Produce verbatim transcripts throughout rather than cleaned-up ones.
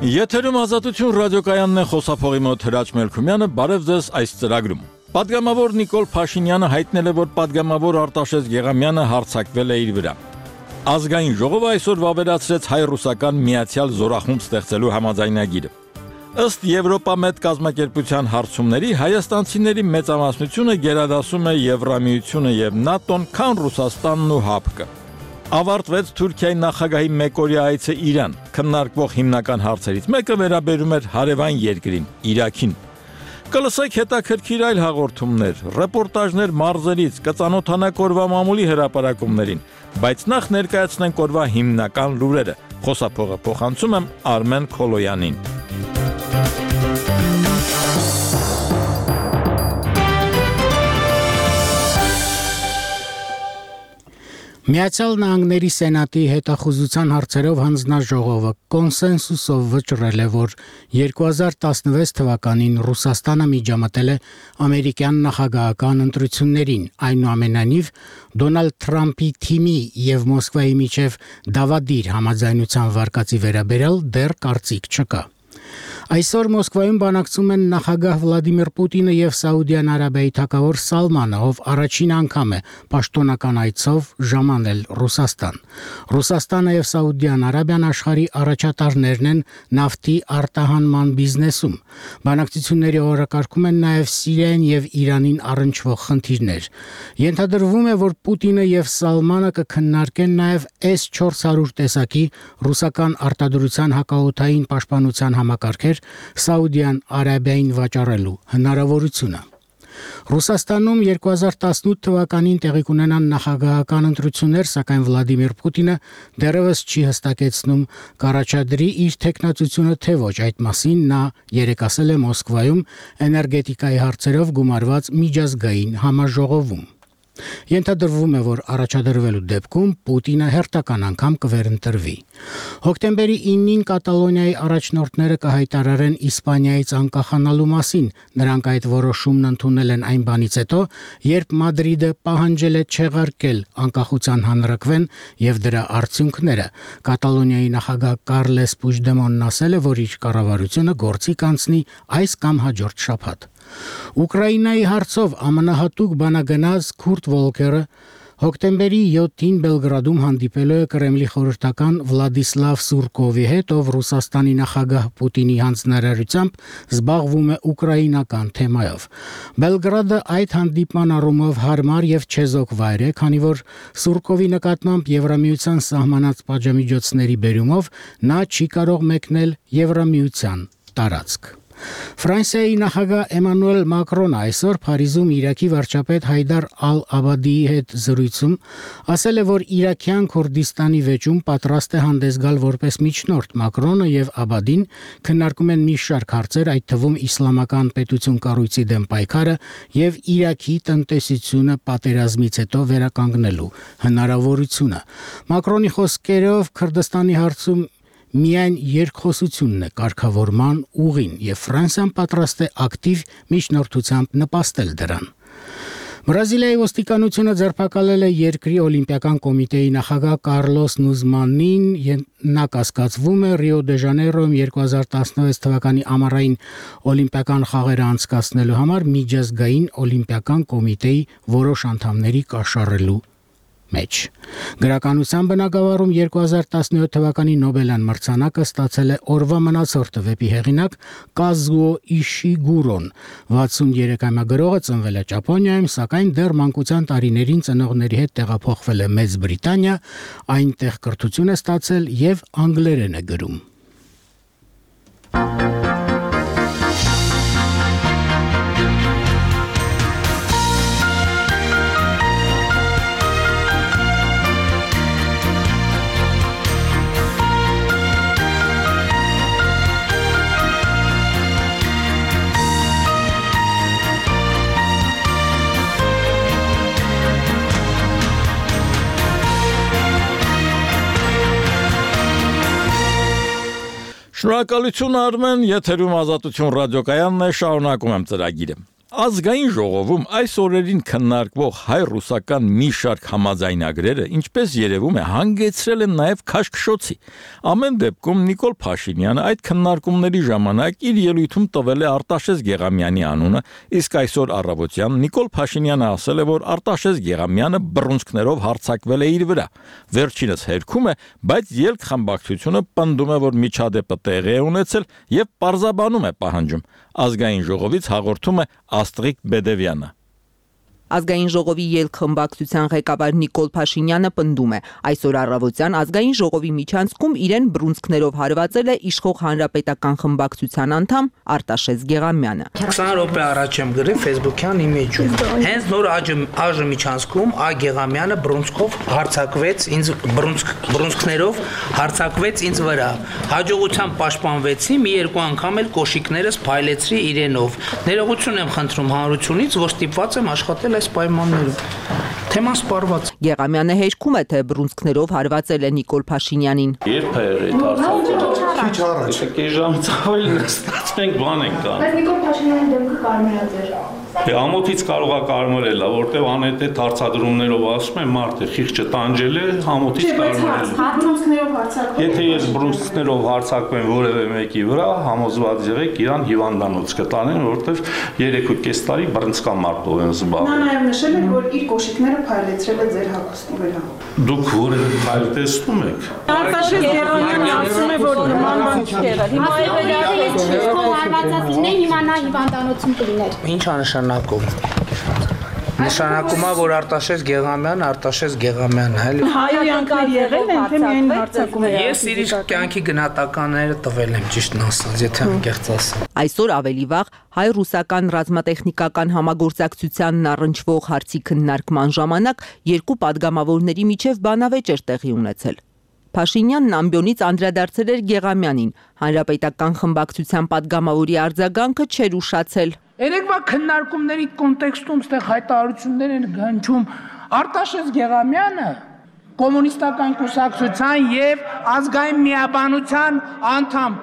Եթերում Ազատություն ռադիոկայանն է, խոսափողի մոտ Հրաչ Մելքումյանը, բարև ձեզ այս ծրագրում։ Պատգամավոր Նիկոլ Փաշինյանը հայտնել է, որ պատգամավոր Արտաշես Գեղամյանը հարձակվել է իր վրա։ Ազգային ժողովը այսօր վավերացրեց հայ-ռուսական միացյալ զորախումբ ստեղծելու համաձայնագիրը։ Ըստ Եվրոպամետ կազմակերպության հարցումների, հայաստանցիների մեծամասնությունը գերադասում է Եվրամիությունը եւ ՆԱՏՕ-ն, քան Ռուսաստանն ու ՀԱՊԿ-ը։ Ավարտվեց Թուրքիայի նախագահի մեկօրյա այցը Իրան, քննարկվող հիմնական հարցերից մեկը վերաբերում էր հարևան երկրին, Իրաքին։ Կլսեք հետաքրքիր այլ հաղորդումներ, ռեպորտաժներ մարզերից, կծանոթանաք օրվա մամուլի հրապարակումներին, բայց նախ ներկայացնենք օրվա հիմնական լուրերը։ Խոսափողը փոխանցում եմ Արմեն Քոլոյանին։ Միացյալ Նահանգների Սենատի հետախուզության հարցերով հանձնաժողովը կոնսենսուսով վճռել է, որ երկու հազար տասնվեց թվականին Ռուսաստանը միջամտել է ամերիկյան նախագահական ընտրություններին, այնուամենայնիվ Դոնալդ Թրամփի թիմի եւ Մոսկվայի միջև դավադիր համաձայնության վարկածի վերաբերյալ դեռ կարծիք չկա։ Այսօր Մոսկվայում բանակցում են նախագահ Վլադիմիր Պուտինը եւ Սաուդյան Արաբիայի թագավոր Սալմանը, ով առաջին անգամ է պաշտոնական այցով ժամանել Ռուսաստան։ Ռուսաստանը եւ Սաուդյան Արաբիան աշխարհի առաջատարներն են նավթի արտահանման բիզնեսում։ Բանակցությունների օրակարգում են նաեւ Սիրիային եւ Իրանին առնչվող խնդիրներ։ Ենթադրվում է, որ Պուտինը եւ Սալմանը կքննարկեն նաեւ էս չորս հարյուր տեսակի ռուսական արտադրության հակաօդային պաշտպանության համակարգեր Սաուդյան Արաբիային վաճառելու հնարավորությունը։ Ռուսաստանում երկու հազար տասնութ թվականին տեղի կունենան նախագահական ընտրություններ, սակայն Վլադիմիր Պուտինը դեռևս չի հստակեցնում կառաջադրի իր թեկնածությունը թե ոչ։ Այդ մասին նա երեկ ասել է Մոսկվայում էներգետիկայի հարցերով գումարված միջազգային համաժողովում։ Ենթադրվում է, որ առաջադրվելու դեպքում Պուտինը հերթական անգամ կվերընտրվի։ Հոկտեմբերի իննին Կատալոնիայի առաջնորդները կհայտարարեն Իսպանիայից անկախանալու մասին։ Նրանք այդ որոշումն ընդունել են այն բանից հետո, երբ Մադրիդը պահանջել է չեղարկել անկախության հանրաքվեն եւ դրա արդյունքները։ Կատալոնիայի նախագահ Կարլես Պուժդեմոնն ասել է, որ իր կառավարությունը գործի կանցնի այս կամ հաջորդ շաբաթ։ Ուկրաինայի հարցով ամենահատուկ բանագնաց Քուրտ Վոլկերը հոկտեմբերի յոթին Բելգրադում հանդիպելու է Կրեմլի խորհրդական Վլադիսլավ Սուրկովի հետ, ով Ռուսաստանի նախագահ Պուտինի հանձնարարությամբ զբաղվում է ուկրաինական թեմայով։ Բելգրադը այդ հանդիպման առումով հարմար եւ չեզոք վայր է, քանի որ Սուրկովի նկատմամբ Եվրամիության սահմանած պատժամիջոցների բերումով նա չի կարող մեկնել Եվրամիության տարածք։ Ֆրանսիայի նախագահ Էմանուել Մակրոնը այսօր Փարիզում Իրաքի վարչապետ Հայդար Ալ-Աբադիի հետ զրույցում ասել է, որ Իրաքյան Քուրդիստանի վեճում պատրաստ է հանդես գալ որպես միջնորդ։ Մակրոնը եւ Աբադին քննարկում են մի շարք հարցեր, այդ թվում իսլամական պետություն կառույցի դեմ պայքարը եւ Իրաքի տնտեսությունը պատերազմից հետո վերականգնելու հնարավորությունը։ Մակրոնի խոսքերով Քրդստանի հարցում միայն երկխոսությունն է կարգավորման ուղին եւ Ֆրանսիան պատրաստ է ակտիվ միջնորդությամբ նպաստել դրան։ Բրազիլիայի ոստիկանությունը ձերբակալել է երկրի օլիմպիական կոմիտեի նախագահ Կարլոս Նուզմանին, նա կասկածվում է Ռիո դե Ժանեյրոյում երկու հազար տասնվեց թվականի ամառային օլիմպիական խաղերը անցկացնելու համար միջազգային օլիմպիական կոմիտեի որոշ անդամների կաշառելու մեջ։ Գրականության բնագավառում երկու հազար տասնյոթ թվականի Նոբելյան մրցանակը ստացել է օրվա մնացորդը վեպի հեղինակ Կազուո Իշիգուրոն։ վաթսուններեքամյա գրողը ծնվել է Ճապոնիայում, սակայն դեռ մանկության տարիներին ծնողների հետ տեղափոխվել է Մեծ Բրիտանիա, այնտեղ կրթություն է ստացել եւ անգլերեն է գրում։ Շնորհակալություն Արմեն, եթերում Ազատություն ռադիոկայանն է, շարունակում եմ ծրագիրը։ Ազգային ժողովում այս օրերին քննարկվող հայ-ռուսական մի շարք համաձայնագրերը, ինչպես երևում է, հանգեցրել են նաև քաշքշոցի։ Ամեն դեպքում Նիկոլ Փաշինյանը այդ քննարկումների ժամանակ իր ելույթում տվել է Արտաշես Գեղամյանի անունը, իսկ այսօր առավոտյան Նիկոլ Փաշինյանը ասել է, որ Արտաշես Գեղամյանը բռունցքներով հարձակվել է իր վրա։ Վերջինս հերքում է, բայց ելք խմբակցությունը պնդում է, որ միջադեպը տեղի է ունեցել եւ պարզաբանում է պահանջում։ Ազգային ժողովից հաղորդում է Աստղիկ Բեդևյանը։ Ազգային ժողովի ելք խմբակցության ղեկավար Նիկոլ Փաշինյանը պնդում է, այսօր առավոտյան Ազգային ժողովի միջանցքում իրեն բռունցքներով հարվածել է իշխող հանրապետական խմբակցության անդամ Արտաշես Գեղամյանը։ քսան րոպե առաջ եմ գրել Facebook-յան իմեջում։ Հենց նոր ԱԺ միջանցքում Ա Գեղամյանը բռունցքով հարձակվեց ինձ բռունցքներով հարձակվեց ինձ վրա։ Հաջողությամբ պաշտպանվեցի, մի երկու անգամ էլ կոշիկներս փայլեցրի իրենով։ Ներողություն եմ խնդրում հանրությունից, որ ստիպված եմ աշխատել պայմաններում։ Թեման սպառված։ Գեղամյանը հեշքում է, թե բռունցքներով հարվածել է Նիկոլ Փաշինյանին։ Երբ է այդ հարցը։ Քիչ առաջ։ Քիչ ժամից ավելի նստած մենք բան ենք կան։ Բայց Նիկոլ Փաշինյանի դեմքը կարմրած էր։ Դե ամոթից կարող է կարմրել, որտեվ անհետ հարցադրումներով ասում եմ մարդը խիղճը տանջել է, ամոթից կարմրել։ Բռունցքներով հարձակվել։ Եթե ես բռունցքներով հարձակվեմ որևէ մեկի վրա, համոզված եղեք իրան հիվանդանոց կտանեն, որտեվ երեք ու կես տարի բռնցքամ մարդով եմ զբաղվել։ Նա նաև նշել է, որ իր կոշիկները փայլեցրել է ձեր հագուստի վրա։ Դուք որևէ փայլ տեսնում եք։ Արտաշես Գեղամյանը ասում է, որ նման բան չի եղել։ Հիմա եղել է հիմա նա հիվանդանոցում կլիներ։ Ինչ է նշանակում։ Նշանակում է, որ Արտաշես Գեղամյանը Արտաշես Գեղամյանն է, էլի։ Հայոյանքներ եղել են, թե միայն հարձակում է։ Ես իր կյանքի գնահատականները տվել եմ, ճիշտն ասած, եթե անկեղծ ասեմ։ Այսօր ավելի վաղ հայ-ռուսական ռազմատեխնիկական համագործակցությանն առնչվող հարցի քննարկման ժամանակ երկու падգամավորների միջև բանավեճ էր տեղի ունեցել։ Փաշինյանն ամբյոնից անդրադարձել էր Գեղամյանին, հանրապետական խմբակցության падգամավորի արձագանքը չէր ուշացել։ Երեկվա քննարկումների կոնտեքստում ստեղ հայտարարություններ են հնչում Արտաշես Գեղամյանը կոմունիստական կուսակցության եւ ազգային միաբանության անդամ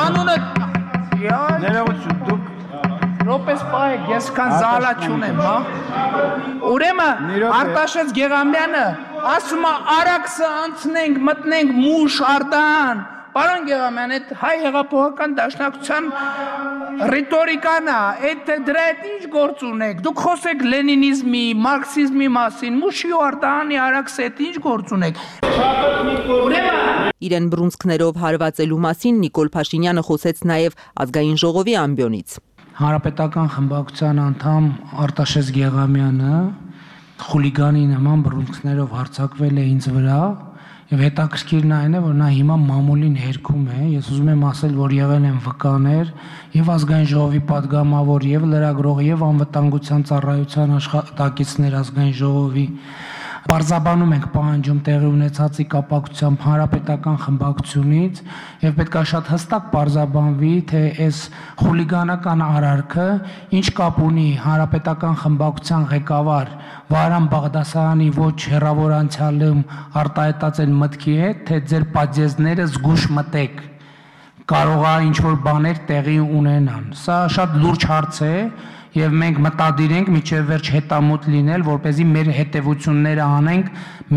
անունը ներողություն դուք Ռոպես պայեք, ես կան զալա չունեմ, հա։ Ուրեմն Արտաշես Գեղամյանը ասում է արաքսը անցնենք, մտնենք Մուշ, Արդահան։ Պարոն Գեղամյան, այդ հայ հեղափոխական դաշնակցության ռետորիկան է, այդ դրա հետ ինչ գործ ունեք։ Դուք խոսեք լենինիզմի, մարքսիզմի մասին, Մուշի ու Արդահանի արաքսը հետ ինչ գործ ունեք։ Իրեն բռունցքներով հարվածելու մասին Նիկոլ Փաշինյանը խոսեց նաև Ազգային ժողովի ամբյոնից։ Հանրապետական խմբակցության անդամ Արտաշես Գեղամյանը խուլիգանի նման բռունցքներով հարձակվել է ինձ վրա եւ հետաքրքիրն այն է, որ նա հիմա մամուլին հերքում է։ Ես ուզում եմ ասել, որ եղել են վկաներ եւ Ազգային ժողովի падգամավոր եւ լրագրող եւ անվտանգության ծառայության աշխատակիցներ Ազգային ժողովի Պարզաբանում ենք պահանջում տեղի ունեցածի կապակցությամբ հանրապետական խմբակցությունից եւ պետք է շատ հստակ պարզաբանվի, թե այս խուլիգանական արարքը ինչ կապ ունի հանրապետական խմբակցության ղեկավար Վահրամ Բաղդասարյանի ոչ հեռավոր անցյալում արտահայտած են մտքի հետ, թե ձեր պատժեզները զգուշ մտեք, կարող է ինչ-որ բաներ տեղի ունենան։ Սա շատ լուրջ հարց է եւ մենք մտադիր ենք միջև վերջ հետամուտ լինել, որպեսզի մեր հետևությունները անենք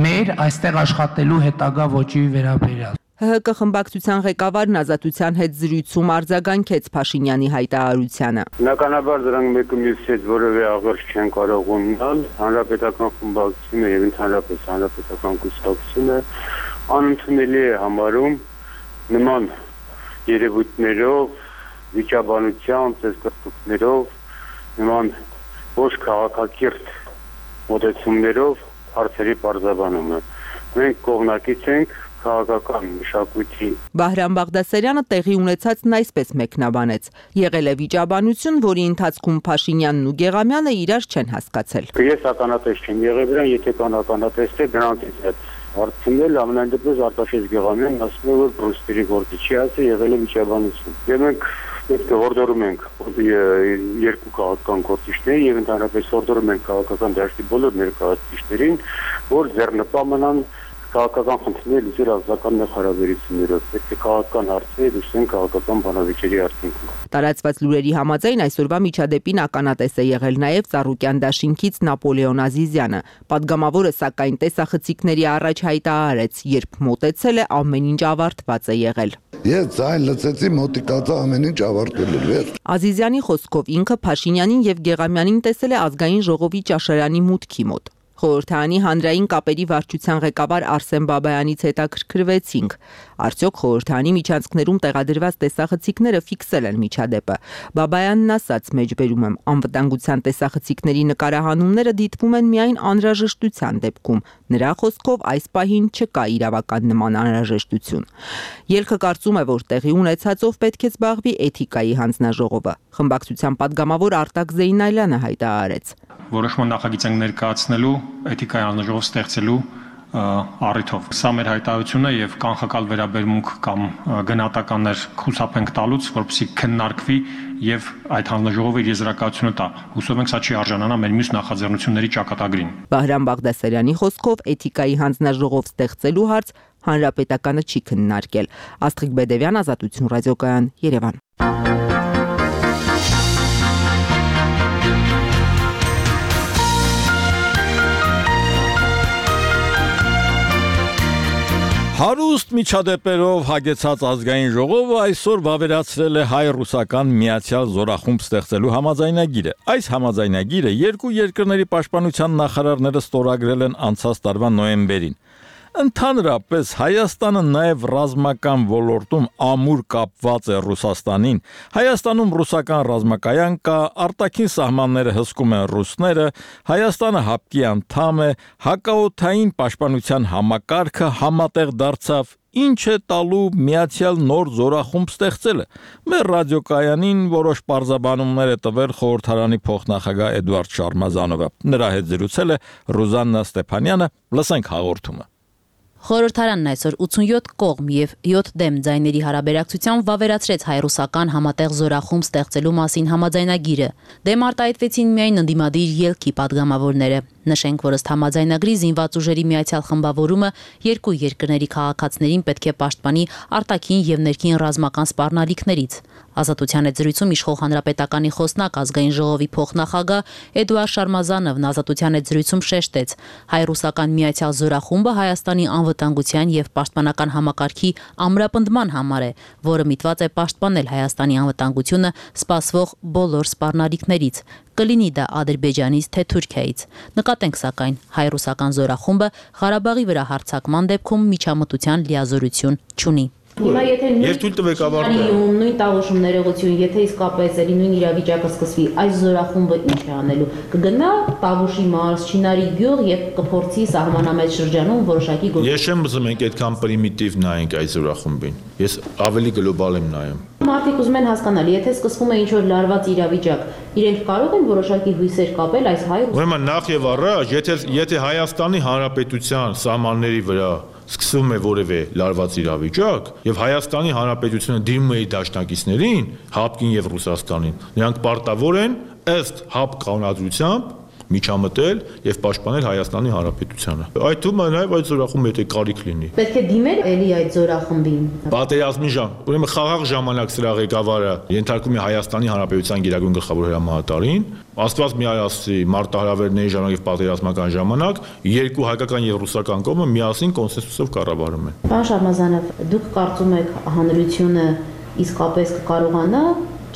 մեր այստեղ աշխատելու հետագա ոճի վերաբերյալ։ ՀՀԿ խմբակցության ղեկավարն Ազատության հետ զրույցում արձագանքեց Փաշինյանի հայտարարությանը։ Բնականաբար դրանք մեկը մյուսի հետ որևէ աղերս չեն կարող ունենալ, հանրապետական խմբակցությունը եւ ընդհանրապես հանրապետական կուսակցությունը անընդունելի է համարում նման երևույթներով, վիճաբանությամբ, ծեսկրտուքներով նման ոչ քաղաքակիրթ մոտեցումներով հարցերի պարզաբանումը։ Մենք կողմնակից ենք քաղաքական մշակույթի։ Վահրամ Բաղդասարյանը տեղի ունեցածն այսպես մեկնաբանեց. եղել է վիճաբանություն, որի ընթացքում Փաշինյանն ու Գեղամյանը իրար չեն հասկացել։ Ես ականատես չեմ եղել դրան, եթե կան ականատես թե դրանից հետ հարցնել, ամենայն դեպս Արտաշես Գեղամյանն ասում է, որ բռունցքների գործի չի ասել, եղել է վիճաբանություն։ Եվ մենք պետք է հորդորում ենք երկու քաղաքական գործիչներին եւ ընդհանրապես հորդորում ենք քաղաքական դաշտի բոլոր ներկայացուցիչներին, որ ձեռնպահ մնան քաղաքական խնդիրներ լուծել ազգական հարաբերություններով, պետք է քաղաքական հարցեր լուծեն քաղաքական բանավեճերի արդյունքում։ Տարածված լուրերի համաձայն այսօրվա միջադեպին ականատես է եղել նաև Ծառուկյան դաշինքից Նապոլեոն Ազիզյանը։ Պատգամավորը սակայն տեսախցիկների առաջ հայտարարեց, երբ մոտեցել է, ամեն ինչ ավարտված է եղել։ Ես ձայն լցեցի, մոտիկացա, ամեն ինչ ավարտվել է։ Ազիզյանի խոսքով ինքը Փաշինյանին եւ Գեղամյանին տեսել է ազգային ժողովի ճաշարանի մուտքի մոտ։ Խորհրդարանի հանրային կապերի վարչության ղեկավար Արսեն Բաբայանից հետաքրքրվեցինք, արդյոք խորհրդարանի միջանցքներում տեղադրված տեսախցիկները ֆիքսել են միջադեպը։ Բաբայանն ասաց, մեջբերում եմ, անվտանգության տեսախցիկների նկարահանումները դիտվում են միայն անհրաժեշտության դեպքում։ Նրա խոսքով այս պահին չկա իրավական նման անհրաժեշտություն։ Ելքը կարծում է, որ տեղի ունեցածով պետք է զբաղվի էթիկայի հանձնաժողովը։ Խմբակցության падգամավոր Արտակ Զեյնալյանը հայտարարեց. Որոշման նախագիծ ենք ներկայացնելու էթիկայի հանձնաժողով ստեղծելու առիթով։ Սա մեր հայտարարությունը եւ կանխակալ վերաբերմունք կամ գնահատականներ խուսափենք տալուց, որպեսզի քննարկվի եւ այդ հանձնաժողովը իր եզրակացությունը տա։ Հուսով ենք սա չի արժանանա մեր մյուս նախաձեռնությունների ճակատագրին։ Բահրամ Բաղդասարյանի խոսքով էթիկայի հանձնաժողով ստեղծելու հարց հանրապետականը չի քննարկել։ Աստղիկ Բեդևյան, Ազատություն ռադիոկայան, Երևան։ Հարուստ միջադեպերով հագեցած ազգային ժողովը այսօր վավերացրել է հայ-ռուսական միացյալ զորախումբ ստեղծելու համաձայնագիրը։ Այս համաձայնագիրը երկու երկրների պաշտպանության նախարարները ստորագրել են անցած տարվա նոյեմբերին։ Ընդհանրապես Հայաստանը նաև ռազմական ոլորտում ամուր կապված է Ռուսաստանին։ Հայաստանում ռուսական ռազմակայան կա, արտաքին սահմանները հսկում են ռուսները, Հայաստանը հապկի անդամ է, հակաօդային պաշտպանության համակարգը համատեղ դարձավ, ինչ է տալու միացյալ նոր զորախումբ ստեղծելը։ Մեր ռադիոկայանին որոշ պարզաբանումներ է տվել խորհրդարանի փոխնախագահ Էդվարդ Շարմազանովը։ Նրա հետ զրուցել է Ռուզաննա Ստեփանյանը, լսենք հաղորդումը։ Խորհրդարանն այսօր ութսունյոթ կողմ եւ յոթ դեմ ձայների հարաբերակցությամբ վավերացրեց հայ-ռուսական համատեղ զորախումբ ստեղծելու մասին համաձայնագիրը։ Դեմ արտահայտվեցին միայն ընդդիմադիր ելքի падգամավորները։ Նշենք, որ ըստ համաձայնագրի զինված ուժերի միացյալ խմբավորումը երկու երկրների քաղաքացիներին պետք է պաշտպանի արտաքին եւ ներքին ռազմական սպառնալիքներից։ Ազատության հետ զրույցում իշխող հանրապետականի խոսնակ ազգային ժողովի փոխնախագահ Էդուարդ Շարմազանովն Ազատության հետ զրույցում շեշտեց. հայ-ռուսական միացյալ զորախումբը Հայաստանի անվտանգության եւ պաշտպանական համակարգի ամրապնդման համար է, որը միտված է պաշտպանել Հայաստանի անվտանգությունը սպասվող բոլոր սպառնալիքներից։ Կլինի դա Ադրբեջանից թե Թուրքիայից։ Նկատենք սակայն հայ-ռուսական զորախումբը Ղարաբաղի վրա հարձակման դեպքում միջամտության լիազորություն չունի։ Հիմա եթե նույն տաղուշում ներողություն, եթե իսկապես էլի նույն իրավիճակը սկսվի, այս զորախումբը ինչ է անելու։ Կգնա Տավուշի մարզ, Չինարի գյուղ եւ կփորձի սահմանամետ շրջանում որոշակի գործ։ Ես չեմ ուզում ենք այդքան պրիմիտիվ նայենք այս զորախումբին։ Ես ավելի գլոբալ եմ նայում։ Մարդիկ ուզում են հասկանալ, եթե սկսվում է ինչ-որ լարված իրավիճակ, իրենք կարող են որոշակի հույսեր կապել այս հայ։ Ուրեմն նախ եւ առաջ, եթե եթե Հայաստանի Հանրապետության սահմանների վրա սկսվում է որևէ լարված իրավիճակ եւ Հայաստանի Հանրապետությունը դիմում է իր դաշնակիցներին, ՀԱՊԿ-ին եւ Ռուսաստանին, նրանք պարտավոր են ըստ ՀԱՊԿ կանոնադրությամբ միջամտել եւ պաշտպանել Հայաստանի Հանրապետությանը։ Այդ թվում է նաեւ այդ զորախումբը եթե կարիք լինի։ Պետք է դիմել էլի այդ զորախմբին։ Պատերազմի ժամ, ուրեմն խաղաղ ժամանակ սրա ղեկավարը ենթարկում է Հայաստանի Հանրապետության գերագույն գլխավոր հրամանատարին, Աստված մի արասի մարտահրավերների ժամանակ եւ պատերազմական ժամանակ երկու հայկական եւ ռուսական կողմը միասին կոնսենսուսով կառավարում են։ Պարոն Շարմազանով, դուք կարծում եք հանրությունը իսկապես կկարողանա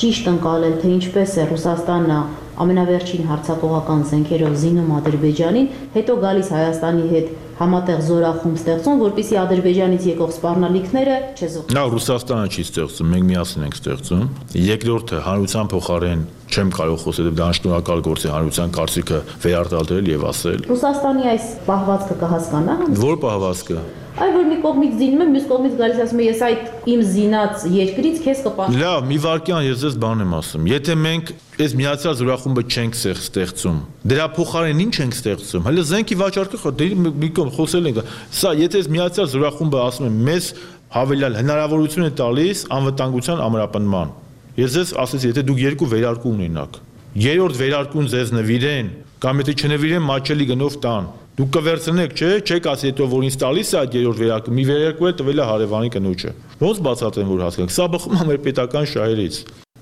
ճիշտ ընկալել, թե ինչպես է Ռուսաստանը ամենավերջին հարձակողական զենքերով զինում Ադրբեջանին, հետո գալիս Հայաստանի հետ համատեղ զորախումբ ստեղծում, որպեսզի Ադրբեջանից եկող սպառնալիքները չեզոք։ Նա Ռուսաստանը չի ստեղծում, մենք միասին ենք ստեղծում։ Երկրորդը հանրության փոխարեն չեմ կարող խոսել, դա անշնորհակալ գործ է հանրության կարծիքը վերարտադրել եւ ասել։ Ռուսաստանի այս պահվածքը կհասկանա։ Որ պահվածքը։ Այ որ մի կողմից զինում է, մյուս կողմից գալիս ասում է ես այդ իմ զինած երկրից քեզ կպաշտպանեմ։ Լավ, մի վարքյան ես ձեզ բան եմ ասում։ Եթե մենք այս միացյալ զորախումբը չենք ստեղծում, դրա փոխարեն ինչ ենք ստեղծում։ Հələ զենքի վաճառքը դե մի կողմ խոսել ենք։ Սա եթե այս միացյալ զորախումբը ասում եմ մեզ հավելյալ հնարավորություն է տալիս անվտանգության ամրապնդման։ Ես ձեզ ասեցի, եթե դուք երկու վերարկու ունենաք, երրորդ վերարկուն ձեզ նվիրեն, կամ եթե չնվիրեն մաչելի գնով տան, Դուք կվերցնեք, չէ, չեք ասի հետո որ ինձ տալիս է այդ երրորդ վերարկու, մի վերարկու է տվել է հարևանի կնոջը։ Ոնց բացատրեմ որ հասկանաք։ Սա բխում է մեր պետական շահերից։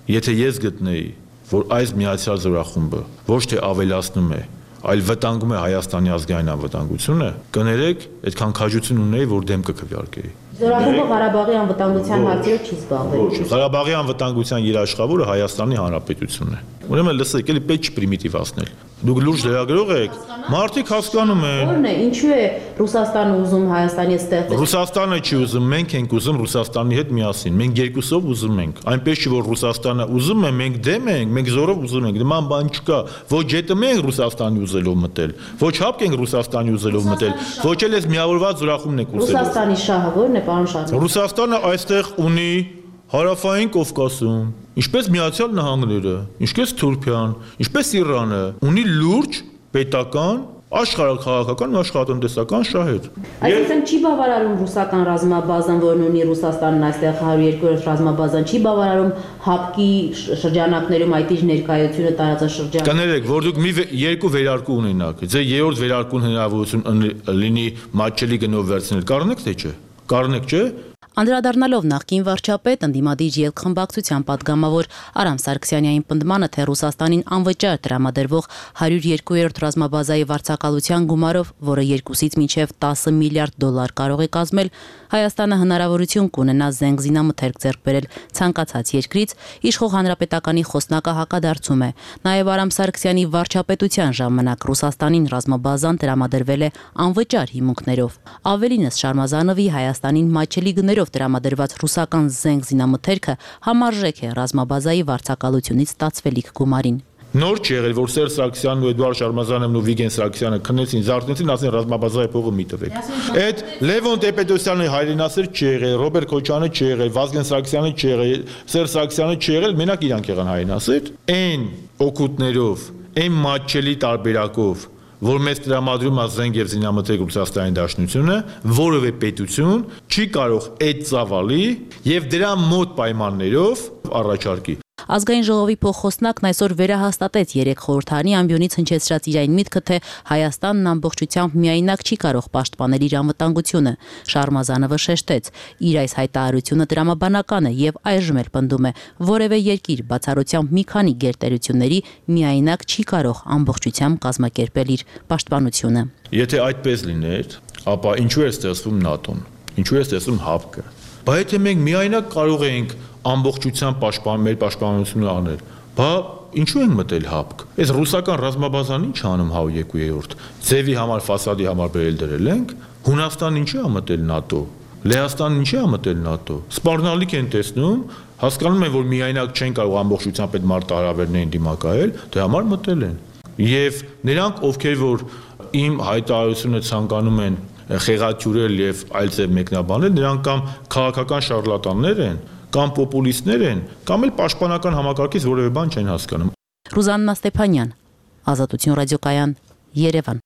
Եթե ես գտնեի, որ այս միացյալ զորախումբը ոչ թե ավելացնում է, այլ վտանգում է Հայաստանի ազգային անվտանգությունը, կներեք, այդքան քաջություն ունեի, որ դեմ կքվեարկեի։ Զորախումբը Ղարաբաղի անվտանգության հարցերով չի զբաղվել։ Ղարաբաղի անվտանգության երաշխավորը Հայաստանի Հանրապետությունն է։ Ուրեմն լսեք, էլի պետք չի պրիմիտիվացնել։ Դուք լուրջ լրագրող եք, մարդիկ հասկանում են։ Որն է, ինչու է Ռուսաստանը ուզում Հայաստանի ստեղծել։ Ռուսաստանը չի ուզում, մենք ենք ուզում Ռուսաստանի հետ միասին։ Մենք երկուսով ուզում ենք։ Այնպես չի որ Ռուսաստանը ուզում է, մենք դեմ ենք, մենք զորով ուզում ենք։ Նման բան չկա։ Ոչ ԵՏՄ ենք Ռուսաստանի ուզելով մտել, ոչ ՀԱՊԿ ենք Ռուսաստանի ուզելով մտել, ոչ էլ էս միավորված զորախումբն եք ուզելով։ Ռուսաստանի շահը որն է, պարոն Շարմազան։ Ռուսաստանը այստեղ ունի Հարավային Կովկասում, ինչպես Միացյալ Նահանգները, ինչպես Թուրքիան, ինչպես Իրանը, ունի լուրջ պետական, աշխարհաքաղաքական ու աշխարհատնտեսական շահեր։ Այսինքն չի բավարարում ռուսական ռազմաբազան, որն ունի Ռուսաստանն այստեղ հարյուր երկու-րդ ռազմաբազան, չի բավարարում ՀԱՊԿ-ի շրջանակներում այդ իր ներկայությունը տարածաշրջանում։ Կներեք, որ դուք մի երկու վերարկու ունենաք, ձեր երրորդ վերարկուն հնարավորություն լինի մատչելի գնով վերցնել, կառնեք թե չէ։ Կառնեք, չէ։ Անդրադառնալով նախկին վարչապետ ընդդիմադիր ելքխմբակցության падգամավոր Արամ Սարգսյանյանի պնդմանը, թե Ռուսաստանին անվճար տրամադրվող հարյուր երկու-րդ ռազմաբազայի վարձակալության գումարով, որը երկուսից մինչև տասը միլիարդ դոլար կարող է կազմել, Հայաստանը հնարավորություն կունենա զենք զինամթերք ձեռք բերել ցանկացած երկրից, իշխող հանրապետականի խոսնակը հակադարձում է։ Նաև Արամ Սարգսյանի վարչապետության ժամանակ Ռուսաստանին ռազմաբազան տրամադրվել է անվճար հիմունքներով։ Ավելինս Շարմազանովի Հայաստանին մատչելի գներով տրամադրված ռուսական զենք զինամթերքը համարժեք է ռազմաբազայի վարձակալությունից ստացվելիք գումարին։ Նոր չի եղել, որ Սերժ Սարգսյանն ու Էդուարդ Շարմազանովն ու Վիգեն Սարգսյանը քնեցին, զարթնեցին, ասեն ռազմաբազայի փողը մի տվեք։ Այդ Լևոն Տեր-Պետրոսյանը հայրենասեր չի եղել, Ռոբերտ Քոչյանը չի եղել, Վազգեն Սարգսյանը չի եղել, Սերժ Սարգսյանը չի եղել, մենակ իրանք եղան հայրենասեր։ Այն օգուտներով, այն մատչելի տարբերակով, որ մեզ տրամադրում է զենք եւ զինամթերք Ռուսաստանի Դաշնությունը, որևէ պետություն չի կարող այդ ծավալի եւ դրա մոտ պայմաններով առաջարկի։ Ազգային ժողովի փոխխոսնակն այսօր վերահաստատեց երեք խորհրդարանի ամբիոնից հնչեցրած իր այն միտքը, թե Հայաստանն ամբողջությամբ միայնակ չի կարող պաշտպանել իր անվտանգությունը։ Շարմազանովը շեշտեց, իր այս հայտարարությունը տրամաբանական է եւ այժմ էլ պնդում է, որևէ երկիր բացառությամբ մի քանի գերտերությունների միայնակ չի կարող ամբողջությամբ կազմակերպել իր պաշտպանությունը։ Եթե այդպես լիներ, ապա ինչու է ստեղծվում ՆԱՏՕ-ն, ինչու է ստեղծվում ՀԱՊԿ-ը։ Բայց եթե մենք միայնակ կարող ենք ամբողջությամբ պաշտպան մեր պաշտպանությունը անել, բա ինչու ենք մտել ՀԱՊԿ։ Այս ռուսական ռազմաբազան ինչ անում հա երկու-րդ։ Ձևի համար, ֆասադի համար բերել դրել ենք, Հունաստանն ինչի է մտել ՆԱՏՕ, Լեհաստանն ինչի է մտել ՆԱՏՕ։ Սպառնալիք են տեսնում, հասկանում են, որ միայնակ չեն կարող ամբողջությամբ այդ մարտահրավերներին դիմակայել, դրա համար մտել են։ Եվ նրանք, ովքեր որ իմ հայտարարությունը ցանկանում են խեղաթյուրել եւ այլ ձև մեկնաբանել, նրանք կամ քաղաքական շարլատաններ են, կամ պոպուլիստներ են, կամ էլ պաշտպանական համակարգից որևէ բան չեն հասկանում։ Ռուզաննա Ստեփանյան, Ազատություն ռադիոկայան, Երևան։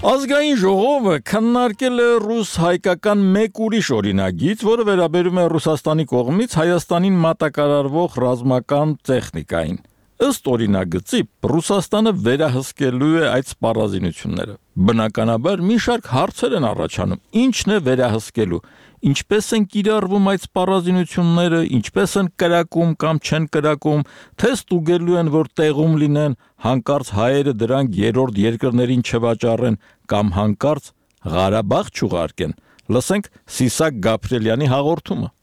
Ազգային ժողովը քննարկել է ռուս-հայկական մեկ ուրիշ օրինագիծ, որը վերաբերում է Ռուսաստանի կողմից Հայաստանին մատակարարվող ռազմական տեխնիկային։ Ըստ օրինագծի, Ռուսաստանը վերահսկելու է այդ սպառազինությունները։ Բնականաբար մի շարք հարցեր են առաջանում. ինչն է վերահսկելու, ինչպես են կիրառվում այդ սպառազինությունները, ինչպես են կրակում կամ չեն կրակում, թե ստուգելու են, որ տեղում լինեն, հանկարծ հայերը դրանք երրորդ երկրներին չվաճառեն կամ հանկարծ Ղարաբաղ չուղարկեն։ Լսենք Սիսակ Գաբրիելյանի հաղորդումը։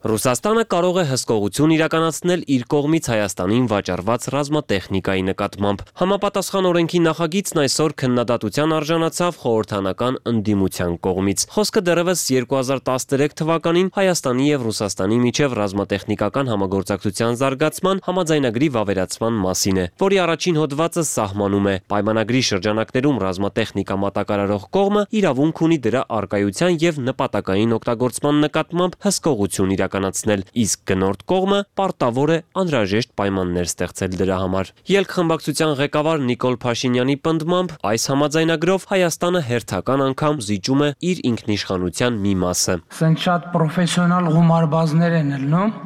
Ռուսաստանը կարող է հսկողություն իրականացնել իր կողմից Հայաստանին վաճառված ռազմատեխնիկայի նկատմամբ։ Համապատասխան օրենքի նախագիծն այսօր քննադատության արժանացավ խորհրդանական ընդդիմության կողմից։ Խոսքը դեռևս երկու հազար տասներեք թվականին Հայաստանի եւ Ռուսաստանի միջև ռազմատեխնիկական համագործակցության զարգացման համաձայնագրի վավերացման մասին է, որի առաջին հոդվածը սահմանում է. պայմանագրի շրջանակներում ռազմատեխնիկա մատակարարող կողմը իրավունք ունի դրա առկայության եւ նպատակային օգտագործման նկատմամբ հսկողություն իրականացնել։ իրականացնել, իսկ գնորդ կողմը պարտավոր է անհրաժեշտ պայմաններ ստեղծել դրա համար։ Ելք խմբակցության ղեկավար Նիկոլ Փաշինյանի պնդմամբ այս համաձայնագրով Հայաստանը հերթական անգամ զիջում է իր ինքնիշխանության մի մասը։ Սենց շատ պրոֆեսիոնալ գումարբազներ են ելնում,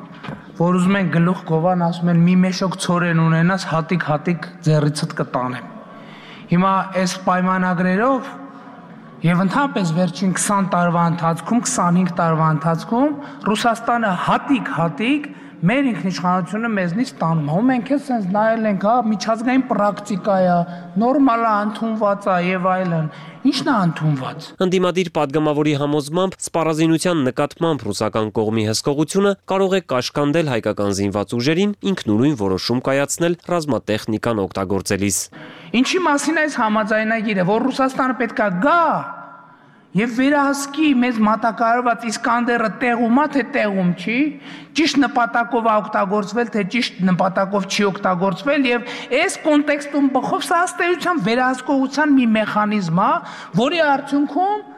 որ ուզում են գլուխ գովան, ասում են մի մեշոք ցորեն ունենաս, հատիկ-հատիկ ձեռիցդ կտանեմ։ Հիմա այս պայմանագրերով եւ ընդհանրապես վերջին քսան տարվա ընթացքում, քսանհինգ տարվա ընթացքում Ռուսաստանը հատիկ-հատիկ մեր ինքնիշխանությունը մեզնից տանում է։ Ու մենք էլ sense նայել ենք, հա, միջազգային պրակտիկա է, նորմալ է, ընդունված է եւ այլն։ Ինչն է ընդունված։ Ընդդիմադիր падգամավորի համոզմամբ սպառազինության նկատմամբ ռուսական կողմի հսկողությունը կարող է կաշկանդել հայկական զինված ուժերին ինքնուրույն որոշում կայացնել ռազմատեխնիկան օգտագործելիս։ Ինչի մասին է այս համաձայնագիրը, որ Ռուսաստանը պետքա գա եւ վերահսկի մեզ մատակարարված Իսկանդերը տեղում է, թե տեղում չի, ճիշտ նպատակով է օգտագործվել, թե ճիշտ նպատակով չի օգտագործվել եւ այս կոնտեքստում բխով սա ըստեյության վերահսկողության մի մեխանիզմ է, որի արդյունքում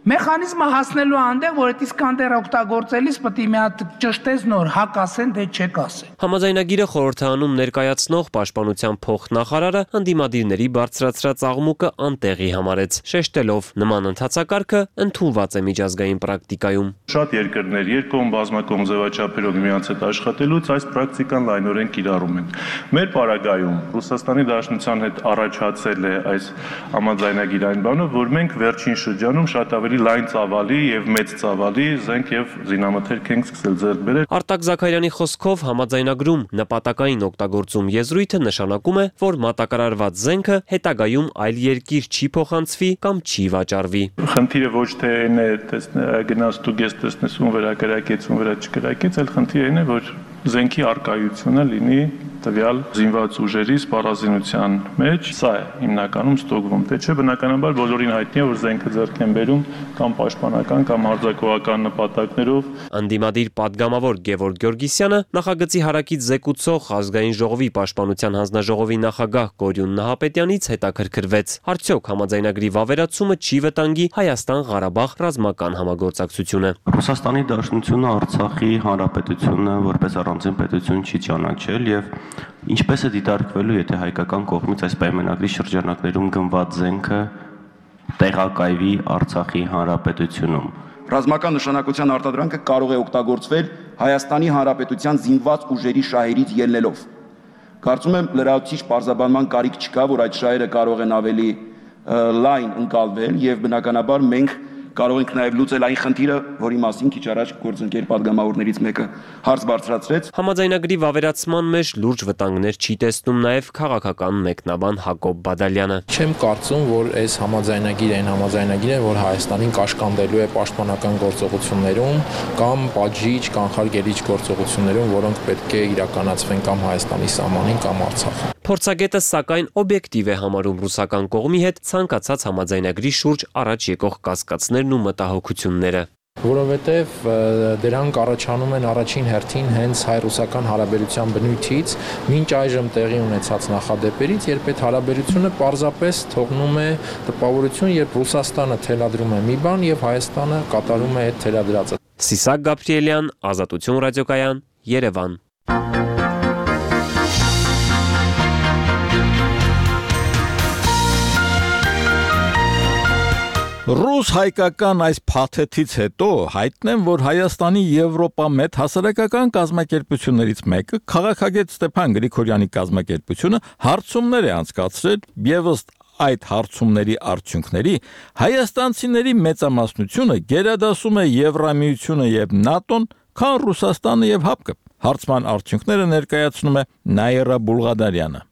մեխանիզմը հասնելու այնտեղ, որ այդ Իսկանդերը օգտագործելիս պետք է մի հատ ճշտես նոր հակ ասեն, թե չեք ասեն։ Համաձայնագիրը խորհրդանում ներկայացնող պաշտպանության փոխնախարարը ընդդիմադիրների բարձրացրած աղմուկը անտեղի համարեց, շեշտելով նման ընթացակարգը ընդունված է միջազգային պրակտիկայում։ Շատ երկրներ երկկողմ բազմակողմ ձևաչափերով միմյանց հետ աշխատելուց այս պրակտիկան լայնորեն կիրառում են։ Մեր պարագայում Ռուսաստանի Դաշնության հետ առաջացել է այս համաձայնագիրային բանով, որ մենք վերջին շրջանում շատ ավելի լայն ծավալի եւ մեծ ծավալի զենք եւ զինամթերք ենք սկսել ձեռք բերել։ Արտակ Զաքարյանի խոսքով համաձայնագրում նպատակային օգտագործում եզրույթը նշանակում է, որ մատակարարված զենքը հետագայում այլ երկիր չի փոխանցվի կամ չի վաճառվի։ Խնդիրը ոչ թե այն է, գնաց դու ես տեսնես ում վրա կրակեց, ում վրա չկրակեց, այլ խնդիրը այն է, որ զենքի արկայությունը լինի տվյալ զինված ուժերի սպառազինության մեջ, սա է հիմնականում ստոկվում, թե չէ բնականաբար բոլորին հայտնի է, որ զենքը ձեռք են բերում կամ պաշտպանական կամ հարձակողական նպատակներով։ Ընդդիմադիր падգամավոր Գևորգ Գյորգիսյանը նախագծի հարակից զեկուցող Ազգային ժողովի պաշտպանության հանձնաժողովի նախագահ Կորյուն Նահապետյանից հետաքրքրվեց. Արդյոք համաձայնագրի վավերացումը չի վտանգի Հայաստան-Ղարաբաղ ռազմական համագործակցությունը։ Ռուսաստանի Դաշնությունը Արցախի հանրապետությունը որպես առանձին պետություն չի ճանաչել եւ ինչպես է դիտարկվելու, եթե հայկական կողմից այս պայմանագրի շրջանակներում գնված զենքը տեղակայվի Արցախի հանրապետությունում։ Ռազմական նշանակության արտադրանքը կարող է օգտագործվել Հայաստանի հանրապետության զինված ուժերի շահերից ելնելով։ Կարծում եմ լրացուցիչ պարզաբանման կարիք չկա, որ այդ շահերը կարող են ավելի լայն ընկալվել եւ բնականաբար մենք կարող ենք նաև լուծել այն խնդիրը, որի մասին քիչ առաջ գործընկեր падգամավորներից մեկը հարց բարձրացրեց։ Համաձայնագրի վավերացման մեջ լուրջ վտանգներ չի տեսնում նաև քաղաքական մեկնաբան Հակոբ Բադալյանը։ Չեմ կարծում, որ այս համաձայնագիրը այն համաձայնագիրն է, որ Հայաստանին կաշկանդելու է պաշտպանական գործողություններում կամ պատժիչ, կանխարգելիչ գործողություններում, որոնք պետք է իրականացվեն կամ Հայաստանի սահմանին կամ Արցախում։ Փորձագետը սակայն օբյեկտիվ է համարում ռուսական կողմի հետ ցանկացած համաձայնագրի շուրջ առաջ եկող կասկածներն ու մտահոգությունները։ Որովհետև դրանք առաջանում են առաջին հերթին հենց հայ-ռուսական հարաբերության բնույթից, մինչ այժմ տեղի ունեցած նախադեպերից, երբ այդ հարաբերությունը պարզապես թողնում է տպավորություն, երբ Ռուսաստանը թելադրում է մի բան եւ Հայաստանը կատարում է այդ թելադրածը։ Սիսակ Գաբրիելյան, Ազատություն ռադիոկայան, Երևան։ Ռուս-հայկական այս փաթեթից հետո հայտնեմ, որ Հայաստանի Եվրոպա մեծ հասարակական կազմակերպություններից մեկը քաղաքագետ Ստեփան Գրիգորյանի կազմակերպությունը հարցումներ է անցկացրել եւս այդ հարցումների արդյունքների հայաստանցիների մեծամասնությունը գերադասում է Եվրամիությունը եւ ՆԱՏՕ-ն, քան Ռուսաստանը եւ ՀԱՊԿ-ը։ Հարցման արդյունքները ներկայացնում է Նաիրա Բուլղադարյանը։